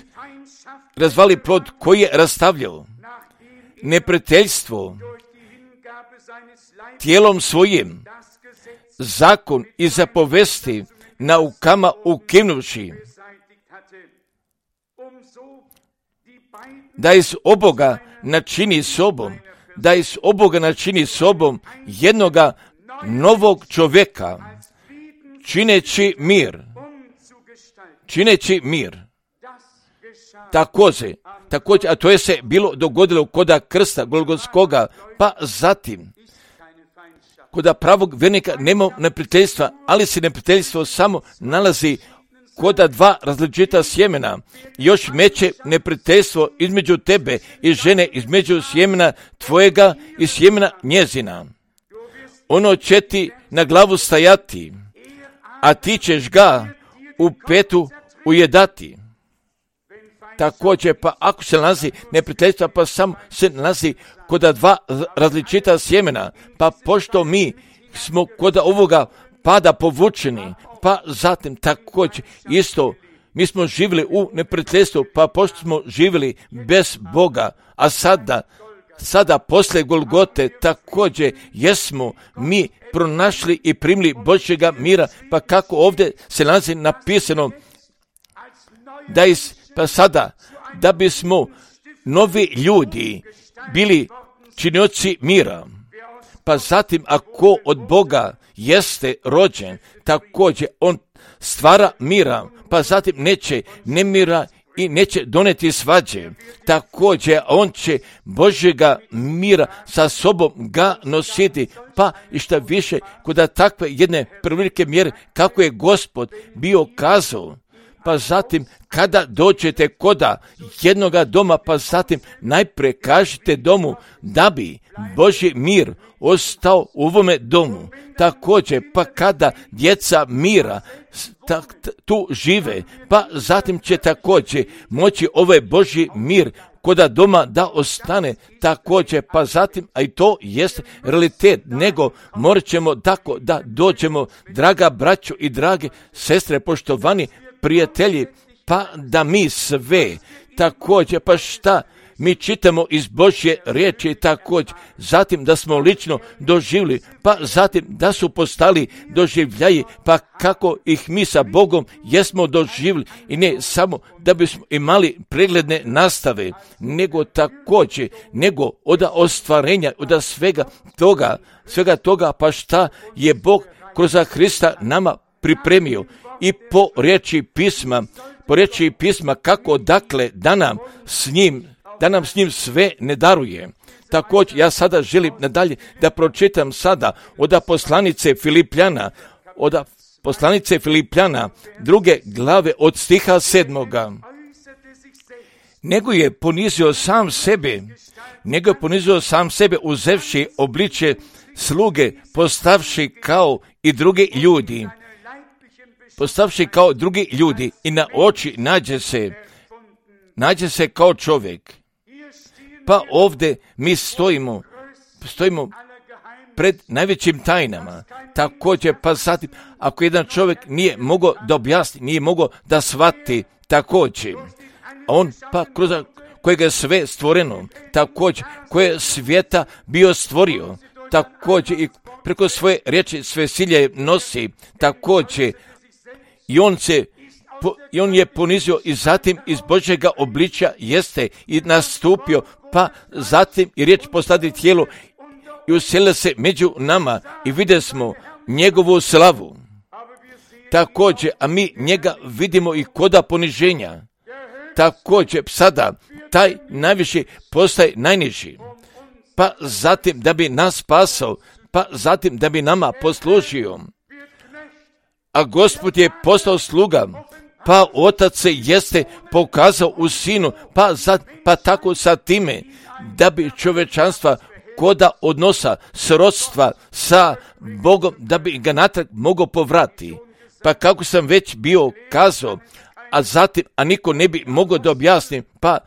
razvali plod koji je rastavljao neprijateljstvo tijelom svojim, zakon i zapovesti naukama ukinuvši, da iz oboga načini sobom, da iz oboga načini sobom jednoga novog čovjeka, čineći mir, čineći mir. Također, također, a to je se bilo dogodilo koda krsta Golgotskoga, pa zatim, koda pravog vjernika nema neprijateljstva, ali se neprijateljstvo samo nalazi koda dva različita sjemena. Još meće neprijateljstvo između tebe i žene, između sjemena tvojega i sjemena njezina. Ono će ti na glavu stajati, a ti ćeš ga u petu ujedati. Također, pa ako se nalazi neprijateljstva, pa samo se nalazi koda dva različita sjemena, pa pošto mi smo koda ovoga pada povučeni, pa zatim također isto mi smo živjeli u neprijateljstvu, pa pošto smo živjeli bez Boga, a sada, sada posle Golgote također jesmo mi pronašli i primili Božjega mira, pa kako ovdje se nalazi napisano da iz pa sada da bismo novi ljudi bili činioci mira. Pa zatim, ako od Boga jeste rođen, također on stvara mira, pa zatim neće nemira i neće doneti svađe. Također on će Božjega mira sa sobom ga nositi, pa i šta više kod takve jedne prevelike mjere kako je Gospod bio kazao. Pa zatim kada dođete koda jednoga doma, pa zatim najprije kažite domu da bi Božji mir ostao u ovome domu. Također, pa kada djeca mira tak, tu žive, pa zatim će također moći ovaj Božji mir koda doma da ostane također, pa zatim, a i to jest realitet, nego morat ćemo tako da dođemo, draga braćo i drage sestre, poštovani prijatelji, pa da mi sve također, pa šta mi čitamo iz Božje riječi također, zatim da smo lično doživjeli, pa zatim da su postali doživljaji, pa kako ih mi sa Bogom jesmo doživjeli, i ne samo da bismo imali pregledne nastave, nego također, nego od ostvarenja, od svega toga, svega toga, pa šta je Bog kroz Hrista nama pripremio i po riječi pisma, po riječi pisma kako dakle da nam s njim, da nam s njim sve ne daruje. Također ja sada želim nadalje da pročitam sada od poslanice Filipljana, od poslanice Filipljana druge glave od stiha sedmoga. Nego je ponizio sam sebe, nego je ponizio sam sebe uzevši obličje sluge, postavši kao i drugi ljudi. Postavši kao drugi ljudi i na oči nađe se, nađe se kao čovjek. Pa ovdje mi stojimo, stojimo pred najvećim tajnama. Također, pa zatim, ako jedan čovjek nije mogao da objasni, nije mogao da shvati, također, on pa kroz kojega je sve stvoreno, također, koje je svijeta bio stvorio, također i preko svoje riječi sve silje nosi, također, i on se po, i on je ponizio i zatim iz Božjega obličja jeste i nastupio, pa zatim i riječ postadi tijelo i uselila se među nama i vidjeli smo njegovu slavu. Također, a mi njega vidimo i koda poniženja. Također, sada taj najviši postaje najniži, pa zatim da bi nas spasao, pa zatim da bi nama poslužio. A Gospod je postao sluga, pa Otac se jeste pokazao u Sinu, pa, za, pa tako sa time, da bi čovječanstva koda odnosa srodstva sa Bogom, da bi ga natrag mogao povrati. Pa kako sam već bio kazao, a zatim, a niko ne bi mogao da objasni, pa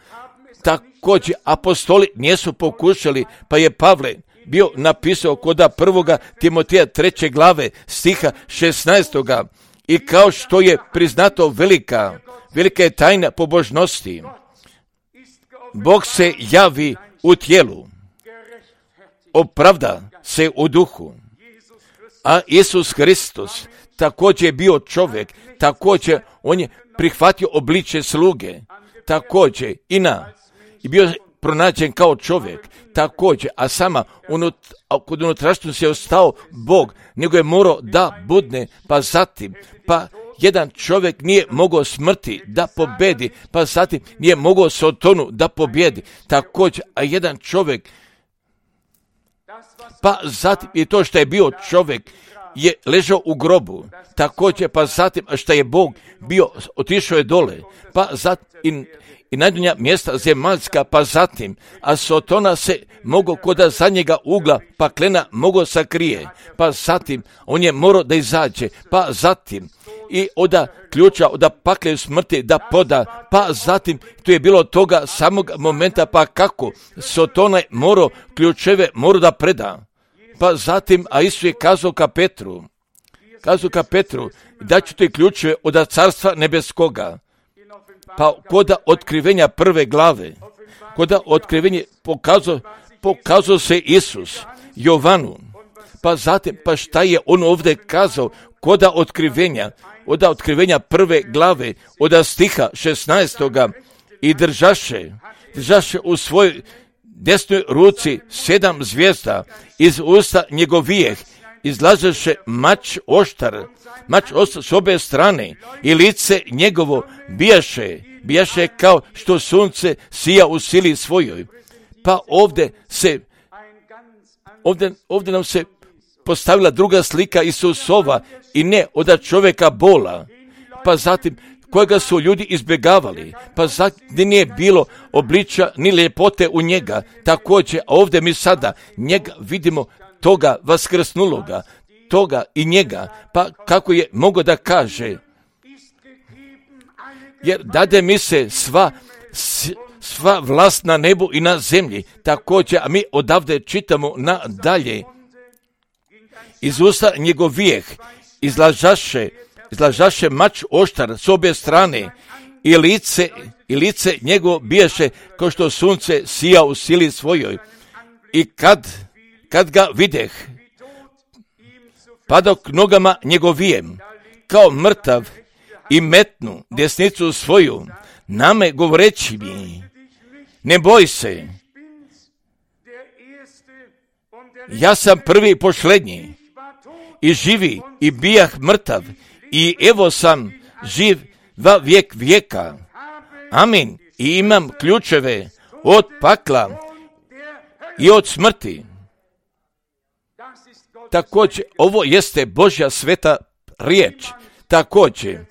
također apostoli nisu pokušali, pa je Pavle bio napisao koda prvoga Timoteja treće glave stiha šesnaestoga i kao što je priznato velika, velika je tajna pobožnosti. Bog se javi u tijelu, opravda se u duhu, a Isus Hristos također je bio čovjek, također on je prihvatio obličje sluge, također i na, i bio pronađen kao čovjek, također, a sama unut, kod unutrašnjosti je ostao Bog, nego je morao da budne, pa zatim, pa jedan čovjek nije mogao smrti da pobedi, pa zatim nije mogao Sotonu da pobjedi, također, a jedan čovjek, pa zatim i to što je bio čovjek, je ležao u grobu, također, pa zatim, a što je Bog bio, otišao je dole, pa zatim, i najdonja mjesta zemaljska, pa zatim, a Sotona se mogao koda zadnjega ugla paklena mogao sakrije, pa zatim, on je morao da izađe, pa zatim, i oda ključa, oda pakle smrti da poda, pa zatim, tu je bilo toga samog momenta, pa kako, Sotona je morao ključeve, morao da preda, pa zatim, a Isus je kazao ka Petru, kazao ka Petru, da ću ti ključeve od carstva nebeskoga. Pa koda otkrivenja prve glave, koda otkrivenje pokazao, pokazao se Isus Jovanu, pa zatim, pa šta je on ovdje kazao, koda otkrivenja, od otkrivenja prve glave, od stiha šesnaestoga i držaše, držaše u svojoj desnoj ruci sedam zvijezda, iz usta njegovijeh izlažeše mač oštar, mač oštar s obje strane i lice njegovo bijaše, bijaše kao što sunce sija u sili svojoj. Pa ovdje se, ovdje, ovdje nam se postavila druga slika Isusova i ne od čovjeka bola. Pa zatim kojega su ljudi izbjegavali, pa zatim nije bilo obličja ni ljepote u njega. Također ovdje mi sada njega vidimo, toga vaskrsnuloga, toga i njega, pa kako je mogao da kaže, jer dade mi se sva, sva vlast na nebu i na zemlji. Također, a mi odavde čitamo nadalje, iz usta njegovijeh izlažaše, izlažaše mač oštar s obje strane i lice, i lice njegovo bijaše kao što sunce sija u sili svojoj. I kad, kad ga videh, padok nogama njegovijem, kao mrtav, i metnu desnicu svoju, name govoreći mi, ne boj se, ja sam prvi i posljednji, i živi, i bijah mrtav, i evo sam živ va vijek vijeka. Amin. I imam ključeve od pakla i od smrti. Također, ovo jeste Božja sveta riječ. Također,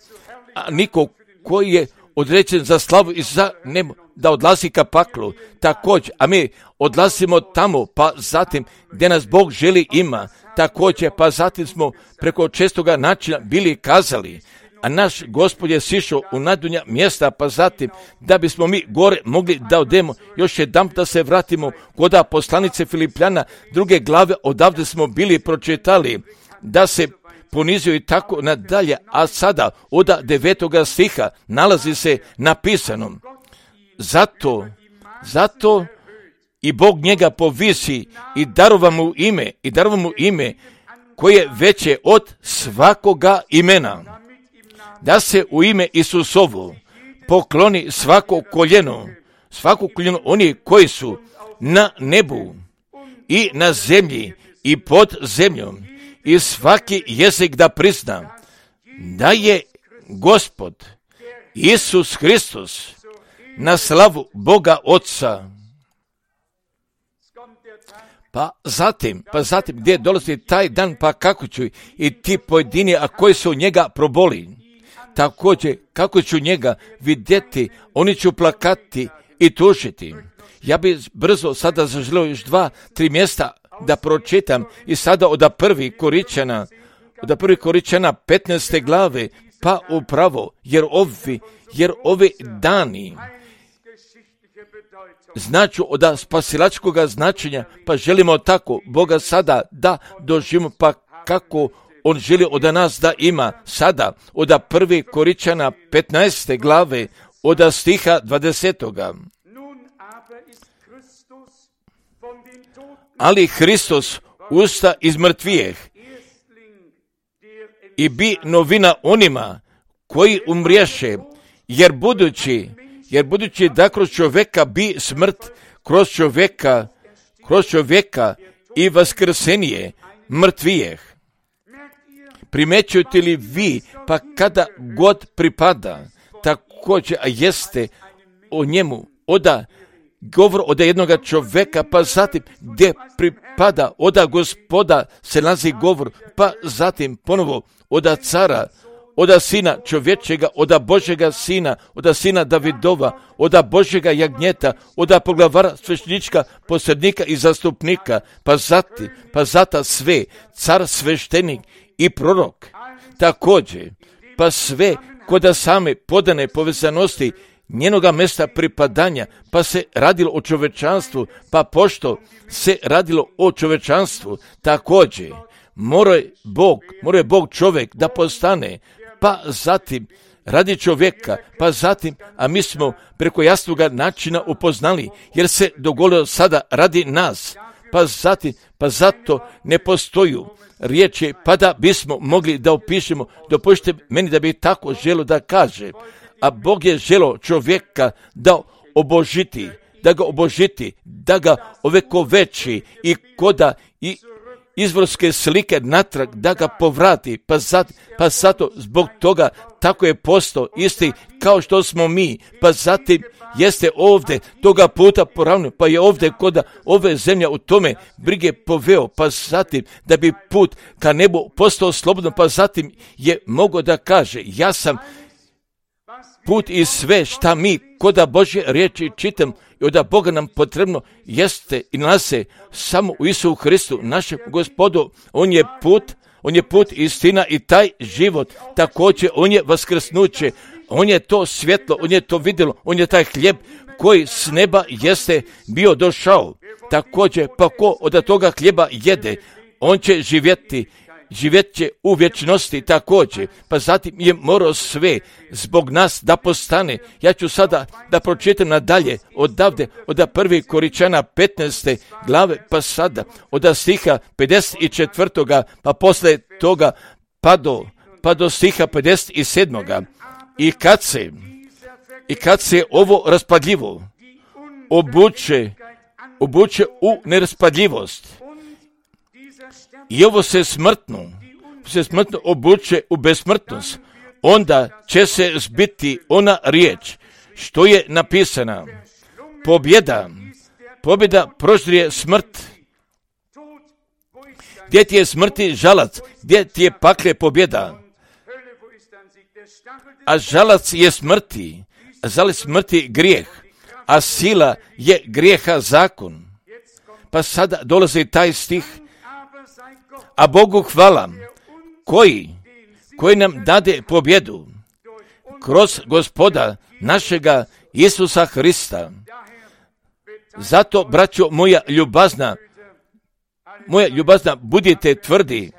a niko koji je određen za slavu i za nemo da odlazi ka paklu. Također, a mi odlazimo tamo, pa zatim gdje nas Bog želi ima. Također, pa zatim smo preko čestoga načina bili kazali, a naš Gospod je sišao u najdunja mjesta, pa zatim da bismo mi gore mogli da odemo, još jedan da se vratimo kod poslanice Filipljana, druge glave, odavde smo bili pročitali, da se ponizio i tako nadalje, a sada od devetoga stiha nalazi se napisano, zato, zato i Bog njega povisi i darova mu ime, i darova mu ime koje je veće od svakoga imena, da se u ime Isusovo pokloni svako koljeno, svako koljeno oni koji su na nebu i na zemlji i pod zemljom, i svaki jezik da prizna da je Gospod Isus Hristos na slavu Boga Otca. Pa zatim, pa zatim gdje dolazi taj dan, pa kako ću i ti pojedini, a koji su njega proboli, također kako ću njega vidjeti, oni ću plakati i tužiti. Ja bi brzo sada zaželio još dva, tri mjesta da pročitam i sada od prvi Koričana, od prvi Koričana petnaeste glave, pa upravo, jer ovi, jer ovi dani značu od spasilačkog značenja, pa želimo tako Boga sada da doživimo, pa kako on želi od nas da ima sada od prvi Koričana petnaeste glave od stiha dvadesetoga. Ali Hristos usta iz mrtvijeh i bi novina onima koji umriješe, jer budući, jer budući da kroz čovjeka bi smrt, kroz čovjeka, kroz čovjeka i vaskrsenije mrtvijeh. Primećujete li vi, pa kada god pripada, također jeste o njemu, oda govor od jednoga čovjeka, pa zatim gdje pripada oda Gospoda se nalazi govor, pa zatim ponovo oda cara, oda sina čovječega, oda Božjega sina, oda sina Davidova, oda Božjega jagnjeta, oda poglavara sveštenička, posrednika i zastupnika, pa zatim, pa zata sve, car sveštenik i prorok. Također, pa sve koda same podane povezanosti njenoga mjesta pripadanja, pa se radilo o čovečanstvu, pa pošto se radilo o čovečanstvu, također mora Bog, mora Bog čovjek da postane, pa zatim radi čovjeka, pa zatim, a mi smo preko jasnoga načina upoznali, jer se dogodilo sada radi nas, pa zatim, pa zato ne postoju riječi, pa da bismo mogli da opišemo, dopušte meni da bi tako želo da kaže, a Bog je želio čovjeka da obožiti, da ga obožiti, da ga ovekoveči i koda i izvorske slike natrag, da ga povrati, pa, zat, pa zato zbog toga tako je postao isti kao što smo mi, pa zatim jeste ovdje toga puta poravno, pa je ovdje koda ove zemlje u tome brige poveo, pa zatim da bi put ka nebu postao slobodno, pa zatim je mogao da kaže, ja sam put i sve šta mi koda Božje riječi čitam i od Boga nam potrebno jeste i nalaze samo u Isusu Hristu, našem Gospodu. On je put, on je put, istina i taj život. Također, on je vaskrsnuće, on je to svjetlo, on je to vidjelo, on je taj hljeb koji s neba jeste bio došao. Također, pa ko od toga hljeba jede, on će živjeti, živjet će u vječnosti također, pa zatim je morao sve zbog nas da postane. Ja ću sada da pročitam nadalje odavde, od prvi Koričana petnaeste glave, pa sada od stiha pedeset četvrtoga pa posle toga pa do, pa do stiha pedeset sedmoga I kad se, i kad se ovo raspadljivo obuče, obuče u neraspadljivost, i ovo se smrtno, se smrtno obuče u besmrtnost, onda će se zbiti ona riječ što je napisana. Pobjeda, pobjeda proždrije smrt. Gdje ti je smrti žalac, gdje ti je pakle pobjeda? A žalac je smrti, a žalac smrti grijeh, a sila je grijeha zakon. Pa sada dolazi taj stih, a Bogu hvala, koji, koji nam dade pobjedu kroz Gospoda našega Isusa Hrista. Zato, braćo moja ljubazna, moja ljubazna, budite tvrdi,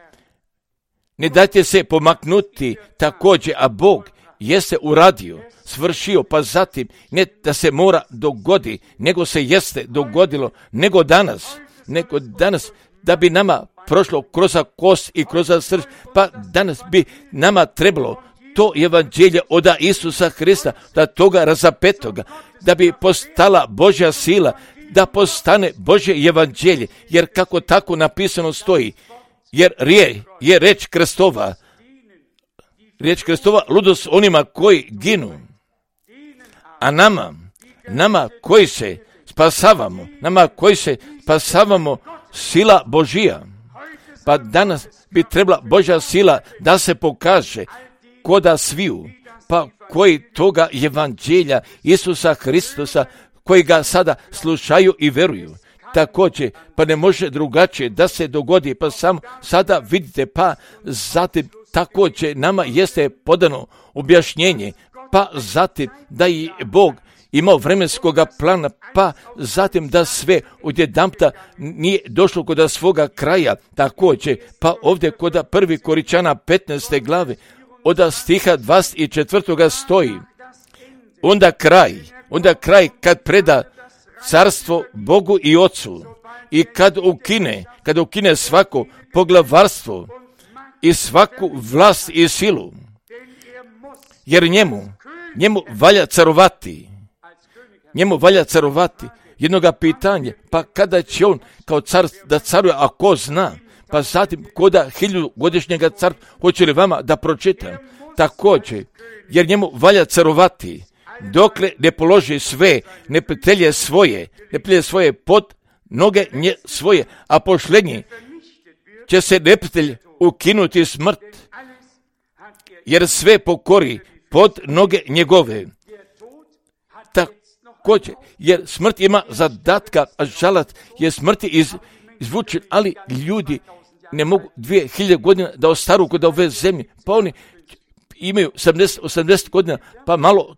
ne dajte se pomaknuti također, a Bog jeste uradio, svršio, pa zatim ne da se mora dogodi, nego se jeste dogodilo, nego danas, nego danas, da bi nama prošlo kroz kost i kroz srž, pa danas bi nama trebalo to evanđelje od Isusa Hrista, da toga razapetoga, da bi postala Božja sila, da postane Božje evanđelje, jer kako tako napisano stoji, jer rije, je reč Kristova, riječ Kristova ludost onima koji ginu, a nama, nama koji se spasavamo, nama koji se spasavamo, sila Božija. Pa danas bi trebala Božja sila da se pokaže koda sviju, pa koji toga evanđelja Isusa Hristusa, koji ga sada slušaju i veruju. Također, pa ne može drugačije da se dogodi, pa samo sada vidite, pa zatim također nama jeste podano objašnjenje, pa zatim da i Bog imao vremenskog plana, pa zatim da sve odjedanputa nije došlo kod svoga kraja, također, pa ovdje kod prvi Koričana petnaeste glave, od stiha dvadeset četvrtoga stoji, onda kraj, onda kraj kad preda carstvo Bogu i Ocu i kad ukine, kad ukine svako poglavarstvo i svaku vlast i silu, jer njemu, njemu valja carovati, njemu valja carovati. Jednoga pitanja, pa kada će on kao car da caruje, a ko zna, pa zatim koda hilju godišnjega car, hoće li vama da pročitam? Također, jer njemu valja carovati, dokle ne položi sve neprijatelje svoje, neprijatelje svoje pod noge nje svoje, a pošlednji će se neprijatelj ukinuti smrt, jer sve pokori pod noge njegove. Također, jer smrt ima zadatka, a žalac je smrti iz, izvučen, ali ljudi ne mogu dvije hiljade godina da ostaru kod ove zemlje, pa oni imaju sedamdeset osamdeset godina, pa malo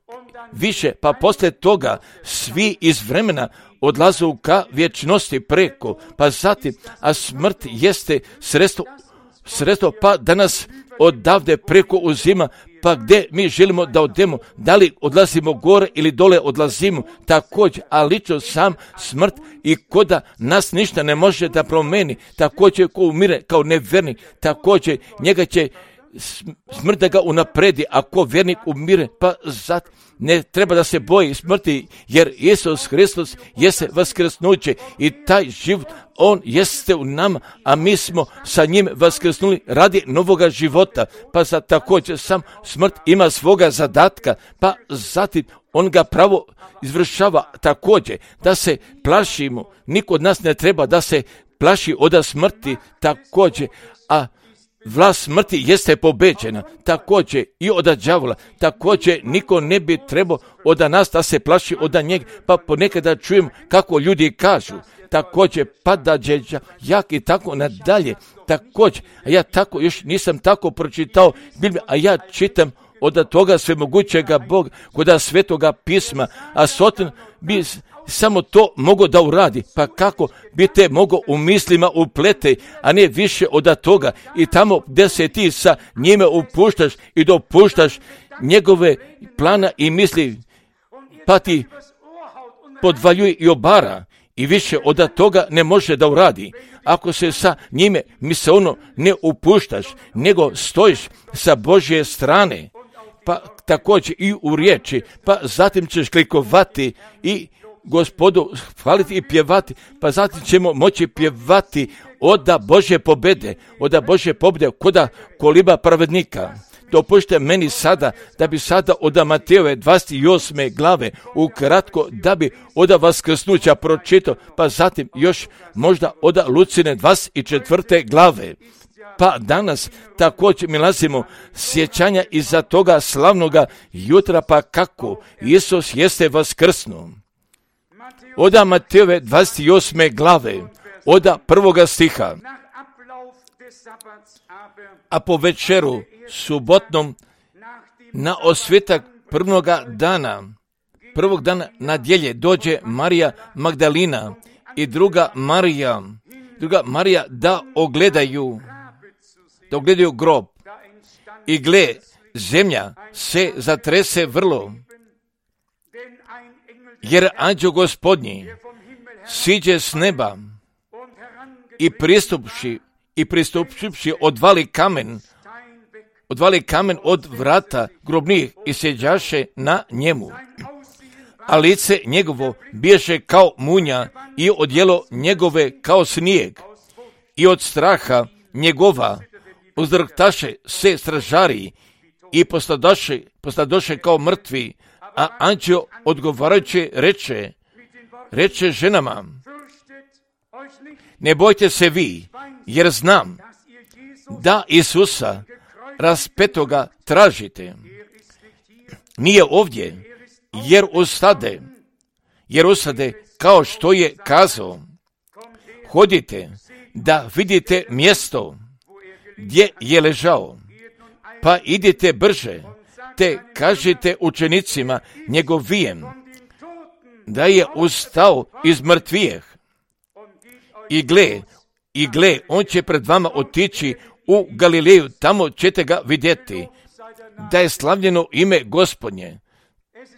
više, pa poslije toga svi iz vremena odlazu ka vječnosti preko, pa zatim, a smrt jeste sredstvo, sredstvo pa da nas odavde preko uzima, pa gdje mi želimo da odemo, da li odlazimo gore ili dole odlazimo, također, a lično sam smrt i koda nas ništa ne može da promeni, također ko umire kao nevernik, također njega će smrt da ga unapredi, ako vjernik umire, pa zat ne treba da se boji smrti, jer Isus Hristos jeste vaskrsnuće i taj život, on jeste u nama, a mi smo sa njim vaskrsnuli radi novoga života, pa za također sam smrt ima svoga zadatka, pa zatim on ga pravo izvršava također, da se plašimo, niko od nas ne treba da se plaši od smrti također, a vlast smrti jeste pobeđena, također i od đavola, također niko ne bi trebao od nas da se plaši od njega, pa ponekada čujem kako ljudi kažu, također pada đeđa, jak i tako nadalje, također, a ja tako još nisam tako pročitao Bibliju, a ja čitam od toga svemogućega Boga, kod svetoga pisma, a Satan bi samo to mogo da uradi, pa kako bi te mogo u mislima uplete, a ne više od toga, i tamo gdje se ti sa njime upuštaš i dopuštaš njegove plana i misli, pa ti podvaljuje i obara, i više od toga ne može da uradi. Ako se sa njime misaono ne upuštaš, nego stojiš sa Božje strane, pa također i u riječi, pa zatim ćeš klikovati i Gospodu hvaliti i pjevati, pa zatim ćemo moći pjevati oda Božje pobjede, oda Božje pobjede koda koliba pravednika. Dopušte meni sada, da bi sada od Matejove dvadeset osme glave ukratko, da bi od vaskrsnuća pročitao, pa zatim još možda od Lucine dvadeset četvrte glave. Pa danas također mi nalazimo sjećanja iza toga slavnoga jutra, pa kako Isus jeste vaskrsnuo. Oda Matejove dvadeset osme glave, oda prvoga stiha. A po večeru subotnom na osvetak prvoga dana, prvog dana nadjelje dođe Marija Magdalina i druga Marija, druga Marija da ogledaju, da ogledaju grob. I gle, zemlja se zatrese vrlo, jer anđeo Gospodnji siđe s neba i pristupši i pristupši odvali kamen, odvali kamen od vrata grobnih i sjeđaše na njemu. A lice njegovo biješe kao munja i odjelo njegove kao snijeg. I od straha njegova uzdrhtaše se stražari i postadoše, postadoše kao mrtvi, a anđeo odgovarajući reče, reče ženama, ne bojte se vi, jer znam da Isusa raspetoga tražite. Nije ovdje, jer ustade, jer ustade kao što je kazao. Hodite da vidite mjesto gdje je ležao, pa idite brže, te kažite učenicima njegovijem da je ustao iz mrtvijeh. I gle, i gle, on će pred vama otići u Galileju, tamo ćete ga vidjeti, da je slavljeno ime Gospodnje.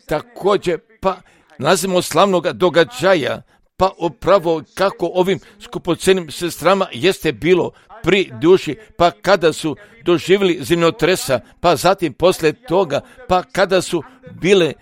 Također, pa nalazimo slavnog događaja, pa upravo kako ovim skupocenim sestrama jeste bilo pri duši, pa kada su doživjeli zemljotresa, pa zatim poslije toga, pa kada su bile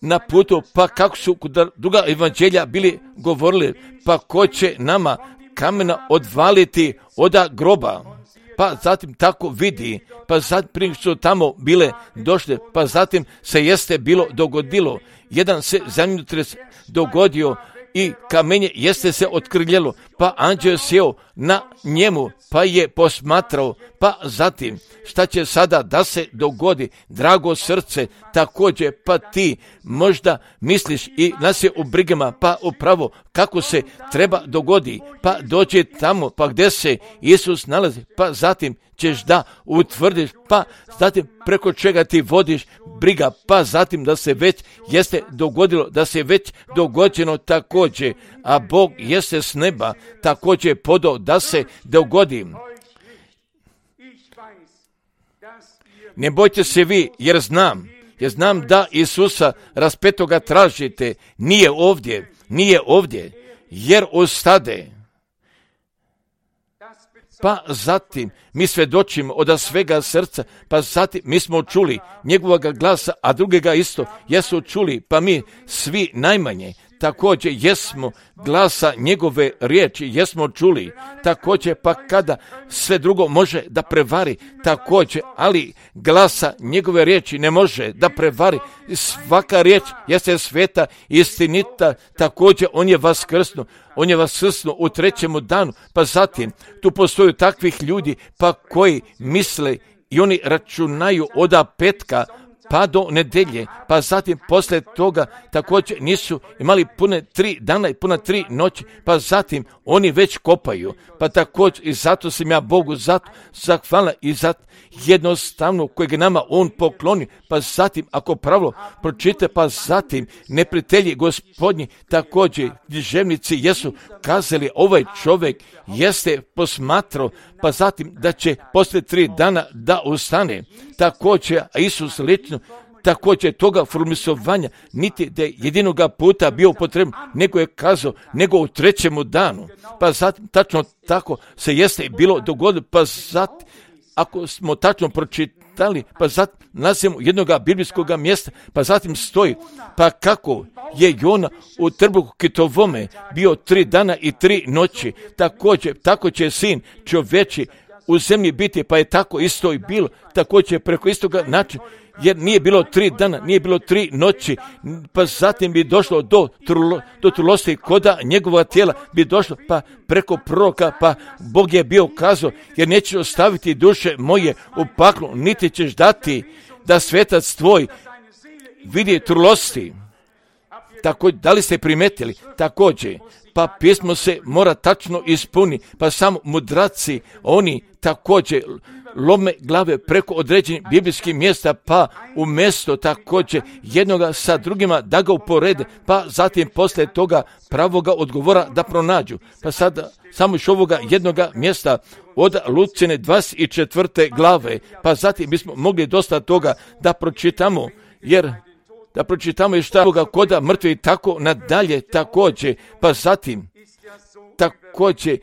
na putu, pa kako su druga evanđelja bili govorili, pa ko će nama kamena odvaliti oda groba, pa zatim tako vidi, pa zatim prije što tamo bile došle, pa zatim se jeste bilo dogodilo, jedan se zemljotres dogodio i kamenje jeste se otkrljelo, pa anđeo sjeo na njemu, pa je posmatrao, pa zatim šta će sada da se dogodi, drago srce, također pa ti možda misliš i nas je u brigama, pa upravo kako se treba dogodi, pa dođe tamo, pa gdje se Isus nalazi, pa zatim ćeš da utvrdiš, pa zatim preko čega ti vodiš briga, pa zatim da se već jeste dogodilo, da se već dogođeno također, a Bog jeste s neba također podao da se dogodi. Ne bojte se vi, jer znam, jer znam da Isusa raspetoga tražite, nije ovdje, nije ovdje, jer ustade. pa zatim mi svjedočimo od svega srca, pa zatim mi smo čuli njegovog glasa, a drugega isto jesu čuli, pa mi svi najmanje također jesmo glasa njegove riječi, jesmo čuli, također pa kada sve drugo može da prevari, također, ali glasa njegove riječi ne može da prevari. Svaka riječ jeste sveta, istinita, također on je vaskrsnuo, on je vaskrsnuo u trećemu danu, pa zatim tu postoju takvih ljudi pa koji misle i oni računaju od petka pa do nedelje, pa zatim poslije toga također nisu imali pune tri dana i puna tri noći, pa zatim oni već kopaju, pa također i zato sam ja Bogu zato zahvalan i zato jednostavno kojeg nama on pokloni, pa zatim ako pravilo pročite, pa zatim neprijatelji gospodnji također književnici jesu kazali ovaj čovjek jeste posmatrao, pa zatim da će poslije tri dana da ustane. Također, a Isus lično, također toga formisovanja, niti da je jedinoga puta bio potreban, nego je kazao, nego u trećemu danu. Pa zatim, tačno tako se jeste bilo dogodilo, pa zatim, ako smo tačno pročitali, pa zatim nalazimo jednoga biblijskog mjesta, pa zatim stoji, pa kako je Jona u trbuhu kitovome bio tri dana i tri noći, također, tako će sin čovječi u zemlji biti, pa je tako isto i bilo, također preko istoga načina, jer nije bilo tri dana, nije bilo tri noći, pa zatim bi došlo do, trulo, do trulosti koda njegova tijela bi došlo, pa preko proroka, pa Bog je bio kazao, jer nećeš ostaviti duše moje u paklu, niti ćeš dati da svetac tvoj vidi trulosti. Tako, da li ste primetili? Također, pa pismo se mora tačno ispuni, pa samo mudraci, oni također lome glave preko određenih biblijskih mjesta, pa umjesto također jednoga sa drugima da ga uporede, pa zatim poslije toga pravoga odgovora da pronađu. Pa sada samo iš ovoga jednoga mjesta od Lucine dvadeset četvrte glave, pa zatim bismo mogli dosta toga da pročitamo, jer da pročitamo i šta ovoga koda mrtvi tako nadalje također, pa zatim također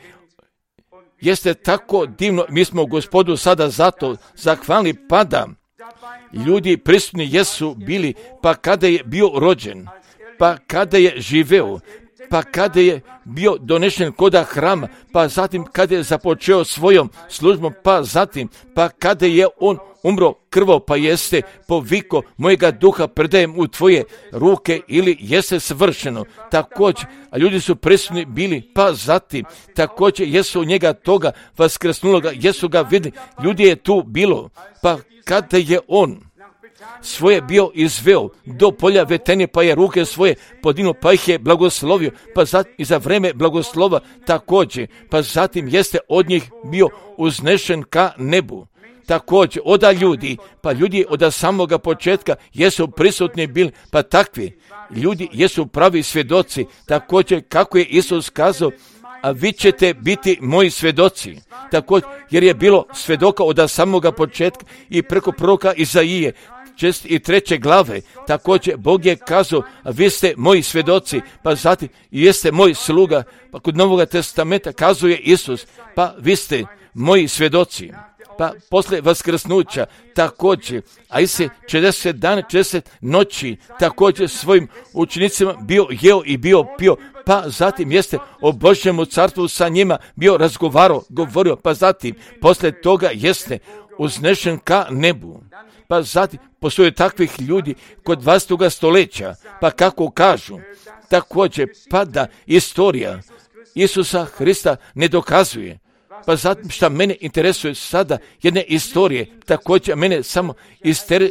jeste tako divno, mi smo Gospodu sada zato zahvalni, pa da ljudi prisutni jesu bili, pa kada je bio rođen, pa kada je živeo, pa kada je bio donešen koda hrama, pa zatim kada je započeo svojom službom, pa zatim, pa kada je on umro krvo, pa jeste poviko mojega duha predajem u tvoje ruke ili jeste svršeno. Također, a ljudi su prisutni bili, pa zatim, također jesu njega toga vaskrsnuloga, jesu ga vidjeli, ljudi je tu bilo, pa kada je on svoje bio izveo do polja Vetenije, pa je ruke svoje podignuo, pa ih je blagoslovio, pa zatim i za vreme blagoslova također, pa zatim jeste od njih bio uznešen ka nebu. Također, oda ljudi, pa ljudi od samoga početka jesu prisutni bili, pa takvi ljudi jesu pravi svjedoci, također kako je Isus kazao, a vi ćete biti moji svjedoci. Također, jer je bilo svjedoka od samoga početka i preko proroka Izaije, šest i treće glave, također Bog je kazao, a vi ste moji svjedoci, pa zatim jeste moj sluga, pa kod Novoga testamenta kazuje Isus, pa vi ste moji svjedoci. Pa posle vaskrsnuća također, a i se četrdeset dana, četrdeset noći također svojim učenicima bio jeo i bio pio, pa zatim jeste o Božjemu carstvu sa njima bio razgovarao, govorio, pa zatim posle toga jeste uznešen ka nebu. Pa zatim postoje takvih ljudi kod dvadesetog stoljeća, pa kako kažu, također pada istorija Isusa Hrista ne dokazuje. Pa zatim šta mene interesuje sada jedne istorije, također mene samo istere,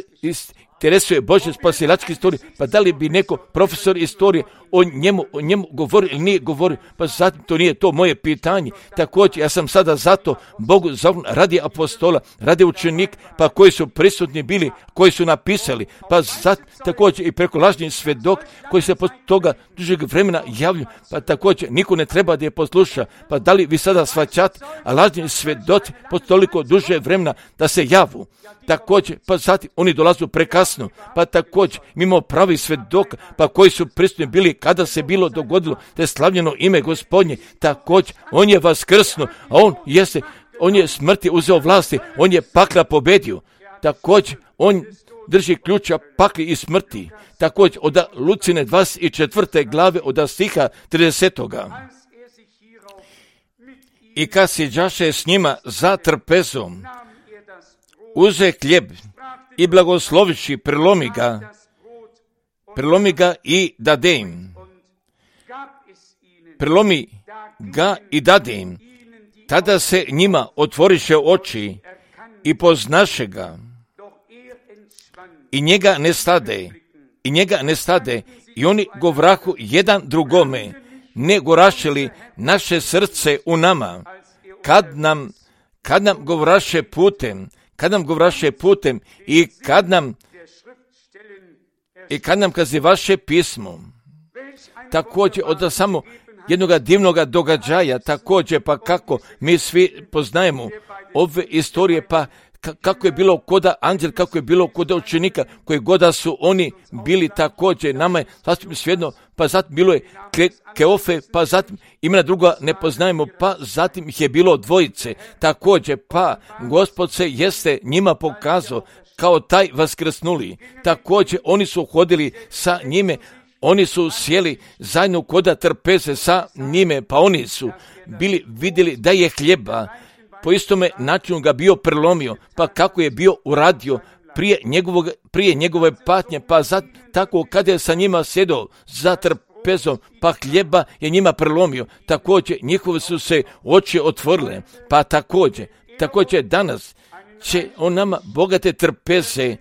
interesuje Božje spasilačke istorije, pa da li bi neko profesor istorije o njemu, o njemu govorio ili nije govorio, pa zatim to nije to moje pitanje. Također ja sam sada zato Bogu zovem radi apostola, radi učenik, pa koji su prisutni bili, koji su napisali, pa zatim također i preko lažnih svjedok koji se posle toga dužeg vremena javljaju, pa također niko ne treba da je posluša, pa da li vi sada shvaćate, a lažni svjedoci posle toliko duže vremena da se javu. Također, pa zatim oni dolazu prekasno, pa također mimo pravi svjedoka, pa koji su prisutni bili kada se bilo dogodilo da je slavljeno ime Gospodnje, također on je vaskrsnuo, a on jeste on je smrti uzeo vlasti, on je pakla pobedio. Također, on drži ključa pakli i smrti. Također, od Lucine dvadeset četvrte glave, od stiha tridesetoga. I kad si đaše s njima za trpezom, uze hljeb i blagosloviši, prelomi ga, prelomi ga i dade im. Prelomi ga i dade im. Tada se njima otvoriše oči i poznaše ga. I njega ne stade. I njega ne stade. I oni govrahu jedan drugome, ne gorašili naše srce u nama. Kad nam, kad nam govraše putem, kad nam govraše putem i kad nam, i kad nam kazi vaše pismo. Također od samo jednoga divnoga događaja, također pa kako mi svi poznajemo ove istorije, pa kako je bilo koda anđel, kako je bilo koda učenika, koji goda su oni bili također, nama je sasvim svejedno, pa zatim bilo je Keofe, pa zatim imena druga ne poznajemo, pa zatim ih je bilo dvojice, također, pa Gospod se jeste njima pokazao kao taj vaskrsnuli, također oni su hodili sa njime, oni su sjeli zajedno koda trpeze sa njime, pa oni su bili vidjeli da je hljeba, po istome načinu ga bio prelomio, pa kako je bio uradio prije, njegovog, prije njegove patnje, pa za, tako kada je sa njima sjedao za trpezom, pa hljeba je njima prelomio, također njihove su se oči otvorile, pa također, također danas će on nama bogate trpeze,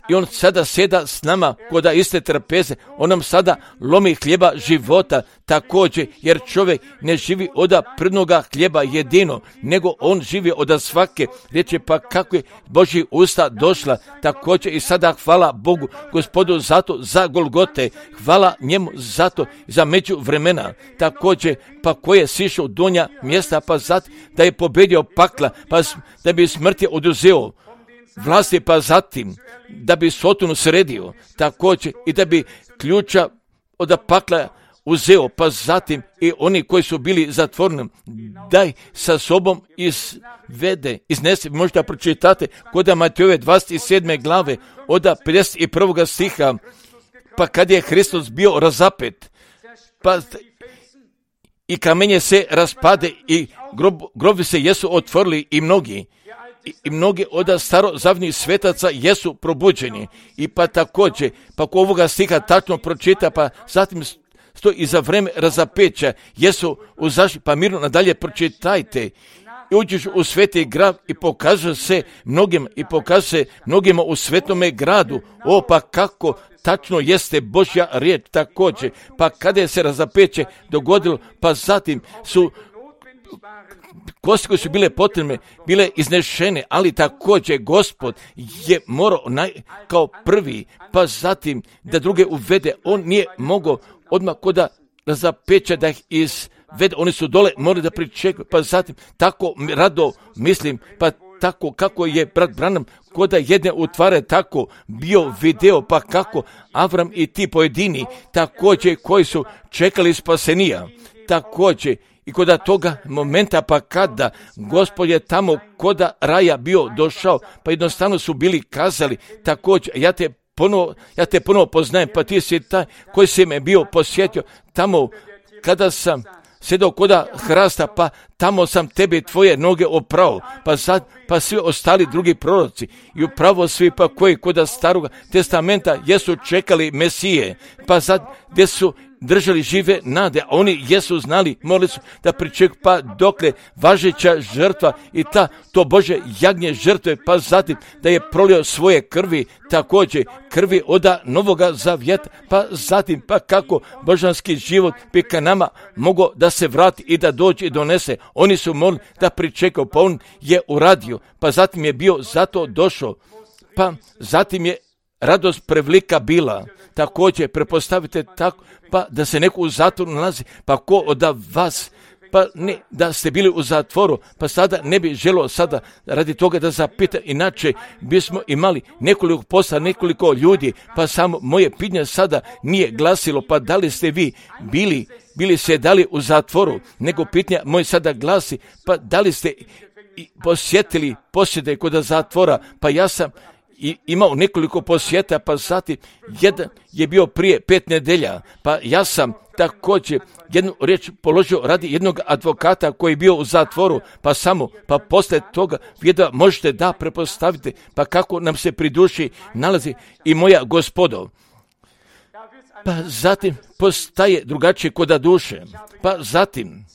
i on sada sjeda s nama koda iste trpeze, on nam sada lomi hljeba života također, jer čovjek ne živi od prvnoga hljeba jedino, nego on živi od svake riječi, pa kako je Božji usta došla, također i sada hvala Bogu, Gospodu zato za Golgote, hvala njemu zato za među vremena, također pa koje je sišao donja mjesta, pa zato da je pobedio pakla, pa da bi smrti oduzeo vlasti, pa zatim da bi Sotonu sredio, također i da bi ključa od pakla uzeo, pa zatim i oni koji su bili zatvoreni, daj sa sobom izvede, iznese, možda pročitate kod Matejove dvadeset sedme glave, od pedeset prvog stiha, pa kad je Hristos bio razapet, pa i kamenje se raspade i grob, grobi se jesu otvorili i mnogi, I, i mnogi od starozavnih svetaca jesu probuđeni. I pa također, pa ko ovoga stiha tačno pročita, pa zatim sto i za vreme razapeća jesu uzašli, pa mirno nadalje pročitajte. I uđeš u sveti grad i pokaže se mnogim, i pokaže se mnogima u svetome gradu. O, pa kako tačno jeste Božja riječ također. Pa kada je se razapeće dogodilo, pa zatim su kosti koje su bile potrebne, bile iznešene, ali također Gospod je morao naj, kao prvi, pa zatim da druge uvede. On nije mogao odmah koda razapeća da ih izvede, oni su dole morali da pričekaju, pa zatim tako rado mislim, pa tako kako je brat Branham koda jedne utvare tako bio video, pa kako Avram i ti pojedini također koji su čekali spasenija, također i koda toga momenta, pa kada Gospod je tamo koda raja bio došao, pa jednostavno su bili kazali također, ja te ponovo, ja te ponovo poznajem, pa ti si taj koji si me bio posjetio tamo kada sam sjedao koda hrasta, pa tamo sam tebi tvoje noge oprao, pa sad, pa svi ostali drugi proroci i upravo svi pa koji koda staroga testamenta jesu čekali Mesije, pa sad gdje su držali žive nade, a oni jesu znali, morali su da pričekaju, pa dokle važeća žrtva i ta, to Bože jagnje žrtve, pa zatim da je prolio svoje krvi, također krvi oda novoga zavjeta, pa zatim pa kako božanski život bi ka nama mogao da se vrati i da dođe i donese. Oni su morali da pričekaju, pa on je uradio, pa zatim je bio zato došao, pa zatim je radost prevlika bila. Također, prepostavite tako, pa da se neko u zatvoru nalazi, pa ko od vas, pa ne da ste bili u zatvoru, pa sada ne bi želio sada radi toga da zapita, inače bismo imali nekoliko posla, nekoliko ljudi, pa samo moje pitanje sada nije glasilo, pa da li ste vi bili, bili se dali u zatvoru, nego pitanje moje sada glasi, pa da li ste i posjetili posjete kod zatvora, pa ja sam i imao nekoliko posjeta, pa zatim jedan je bio prije pet nedelja, pa ja sam također jednu riječ položio radi jednog advokata koji je bio u zatvoru, pa samo, pa poslije toga vjeda možete da prepostavite, pa kako nam se pri duši nalazi i moja gospodo. Pa zatim postaje drugačije koda duše, pa zatim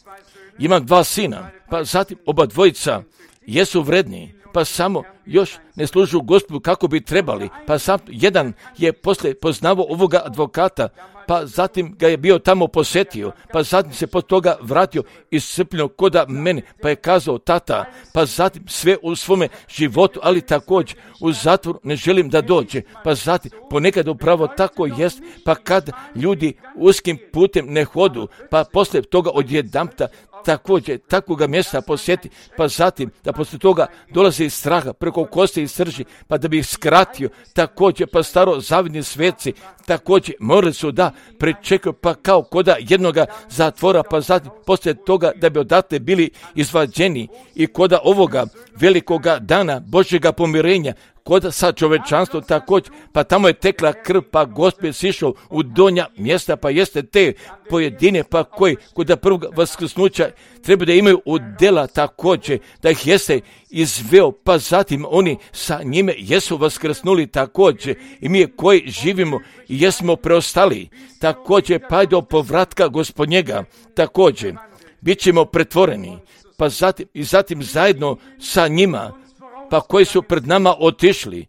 imam dva sina, pa zatim oba dvojica jesu vredni, pa samo još ne služu Gospodu kako bi trebali, pa sam jedan je poslije poznavao ovoga advokata, pa zatim ga je bio tamo posjetio, pa zatim se pod toga vratio iscrpljeno koda mene, pa je kazao tata, pa zatim sve u svome životu, ali također u zatvoru ne želim da dođe, pa zatim ponekad upravo tako jest, pa kad ljudi uskim putem ne hodu, pa poslije toga odjedanputa također takvoga mjesta posjeti, pa zatim da poslije toga dolazi iz straha preko kosti i srži, pa da bi ih skratio, također pa staro zavidni sveci, također morali su da prečekaju, pa kao koda jednoga zatvora, pa zatim poslije toga da bi odatle bili izvađeni i koda ovoga velikoga dana Božjega pomirenja, koda sa čovečanstvom također, pa tamo je tekla krv, pa Gospod je sišao u donja mjesta, pa jeste te pojedine, pa koji kod prvog vaskrsnuća treba da imaju udjela također, da ih jeste izveo, pa zatim oni sa njime jesu vaskrsnuli također i mi koji živimo i jesmo preostali, također pa do povratka Gospodnjega, također bit ćemo pretvoreni, pa zatim i zatim zajedno sa njima, pa koji su pred nama otišli,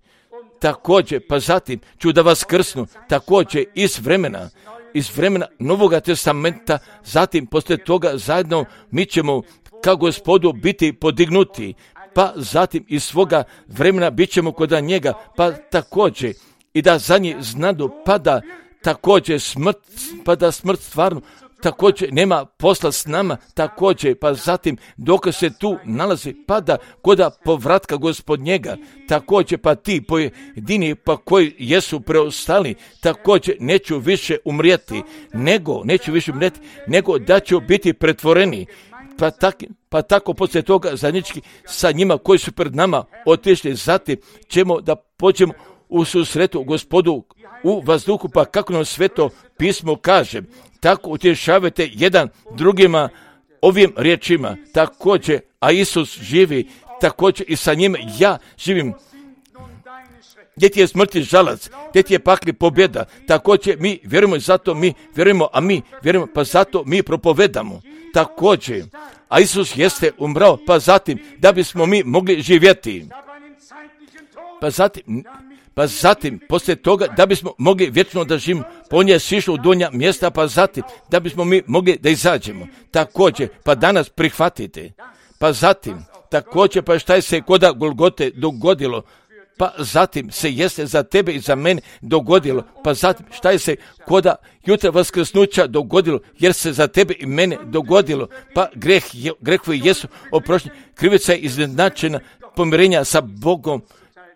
također, pa zatim ću da vas krsnu, također iz vremena, iz vremena Novoga testamenta, zatim poslije toga zajedno mi ćemo kao Gospodu biti podignuti, pa zatim iz svoga vremena bit ćemo kod njega, pa također i da za njih znadu, pa da također smrt, pa da smrt stvarno također nema posla s nama, također, pa zatim dok se tu nalazi, pa da koda povratka Gospodnjega, također pa ti pojedini, pa koji jesu preostali, također neću više umrijeti, nego, neću više umrijeti, nego da ću biti pretvoreni, pa, tak, pa tako poslije toga zajednički sa njima koji su pred nama otišli, zatim ćemo da pođemo u susretu Gospodu u vazduhu, pa kako nam Sveto pismo kaže, tako utješavajte jedan drugima ovim riječima, također, a Isus živi, također i sa njim ja živim. Gdje ti je smrti žalac, gdje ti je pakli pobjeda, također mi vjerujemo, zato mi vjerujemo, a mi vjerujemo, pa zato mi propovedamo, također, a Isus jeste umrao, pa zatim da bismo mi mogli živjeti, pa zatim, pa zatim, poslije toga, da bismo mogli vječno da živimo, pa on je sišao u donja mjesta, pa zatim, da bismo mi mogli da izađemo. Također, pa danas prihvatite. Pa zatim, također, pa šta je se koda Golgote dogodilo, pa zatim se jeste za tebe i za mene dogodilo, pa zatim šta je se koda jutra vaskrsnuća dogodilo, jer se za tebe i mene dogodilo, pa greh, grehovi jesu oprošteni, krivica je izjednačena, pomirenja sa Bogom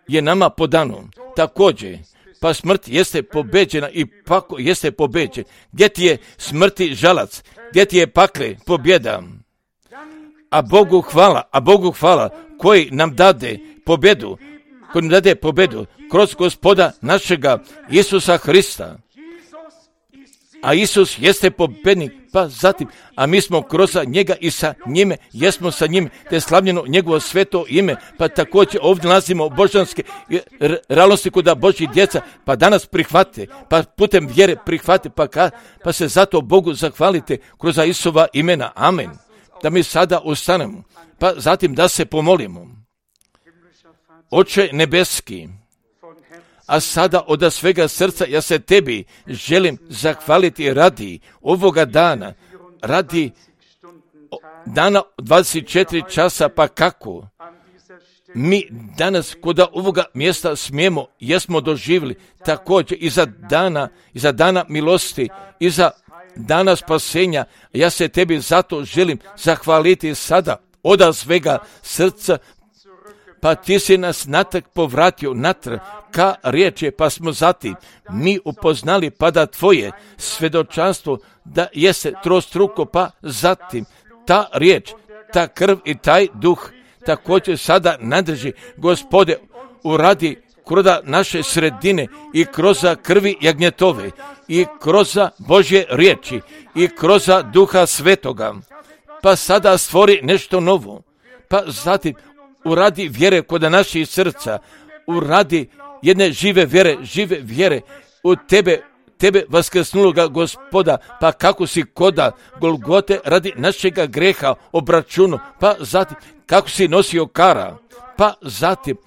je nama podano. Također, pa smrt jeste pobeđena i pako jeste pobeđen. Gdje ti je smrti žalac, gdje ti je pakle pobjeda? A Bogu hvala, a Bogu hvala koji nam dade pobjedu, koji nam dade pobjedu kroz Gospoda našega Isusa Hrista. A Isus jeste pobjednik, pa zatim, a mi smo kroz njega i sa njime, jesmo sa njime, te slavljeno njegovo sveto ime, pa također ovdje nalazimo božanske realnosti kuda Božji djeca, pa danas prihvate, pa putem vjere prihvate, pa, ka, pa se zato Bogu zahvalite kroz Isova imena. Amen. Da mi sada ustanemo, pa zatim da se pomolimo. Oče nebeski, a sada od svega srca ja se tebi želim zahvaliti radi ovoga dana, radi dana dvadeset četiri časa, pa kako mi danas kod ovoga mjesta smijemo, jesmo doživjeli također i za dana, i za dana milosti, i za dana spasenja. Ja se tebi zato želim zahvaliti sada od svega srca, pa ti si nas natrag povratio natrag ka riječi, pa smo zatim mi upoznali pa da tvoje svjedočanstvo da jeste trostruko, pa zatim ta riječ, ta krv i taj duh, također sada nadrži, Gospode, uradi kroz naše sredine i kroz krvi jagnjetove i kroz Božje riječi i kroz Duha Svetoga. Pa sada stvori nešto novo. Pa zatim uradi vjere kod naših srca, uradi jedne žive vjere, žive vjere u tebe, tebe vaskrsnuloga Gospoda, pa kako si koda Golgote radi našega greha obračunu, pa zatim kako si nosio kara, pa zatim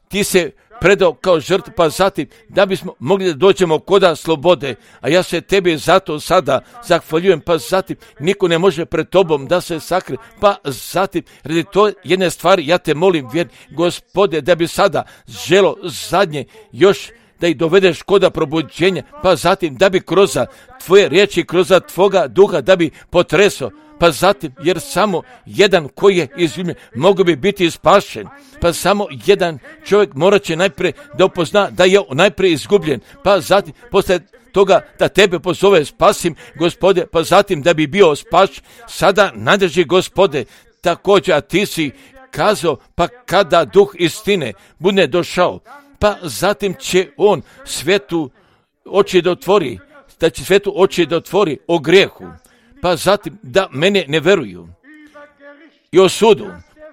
ti se predao kao žrtva, pa zatim da bismo mogli da dođemo koda slobode, a ja se tebi zato sada zahvaljujem, pa zatim niko ne može pred tobom da se sakrije, pa zatim radi to jedne stvari ja te molim, vjer, Gospode, da bi sada želo zadnje još da ih dovedeš koda probuđenja, pa zatim da bi kroz tvoje riječi, kroz tvoga duha da bi potreso, pa zatim, jer samo jedan koji je izljubljen mogu bi biti spašen, pa samo jedan čovjek morat će najprije da upozna da je najprije izgubljen, pa zatim posle toga da tebe pozove spasim, Gospode, pa zatim da bi bio spaš, sada nadrži, Gospode, također, a ti si kazao, pa kada duh istine bude došao, pa zatim će on svetu oči da otvori, da će svetu oči da otvori o grijehu, pa zatim da mene ne veruju i o sudu,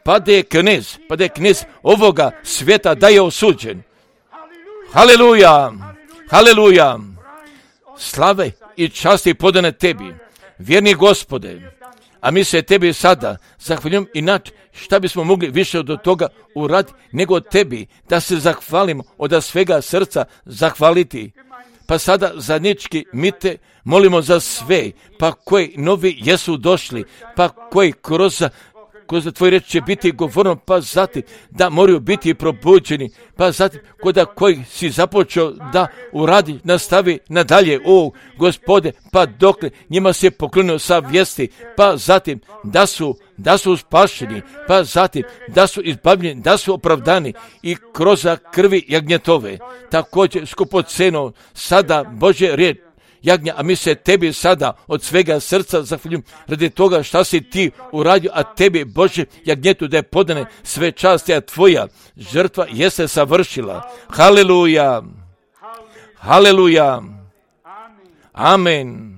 pa da je knez, pa da je knez ovoga svijeta da je osuđen. Haleluja, haleluja, slave i časti podane tebi, vjerni Gospode, a mi se tebi sada zahvaljujem, inače šta bismo mogli više od toga uraditi nego od tebi, da se zahvalimo od svega srca zahvaliti. Pa sada zajednički mi te molimo za sve, pa koji novi jesu došli, pa koji kroz, kroz tvoj reč će biti govorno, pa zatim da moraju biti probuđeni, pa zatim koda koji si započeo da uradi, nastavi nadalje, o Gospode, pa dokle njima se poklonio sa vijesti, pa zatim da su, da su spašeni, pa zatim da su izbavljeni, da su opravdani i kroz krvi jagnjetove, također skupoceno sada Božje riječ jagnja, a mi se tebi sada od svega srca zahvaljujem radi toga šta si ti uradio, a tebi Bože jagnjetu da je podane sve časti, a tvoja žrtva jeste savršila. Haleluja, haleluja, amen.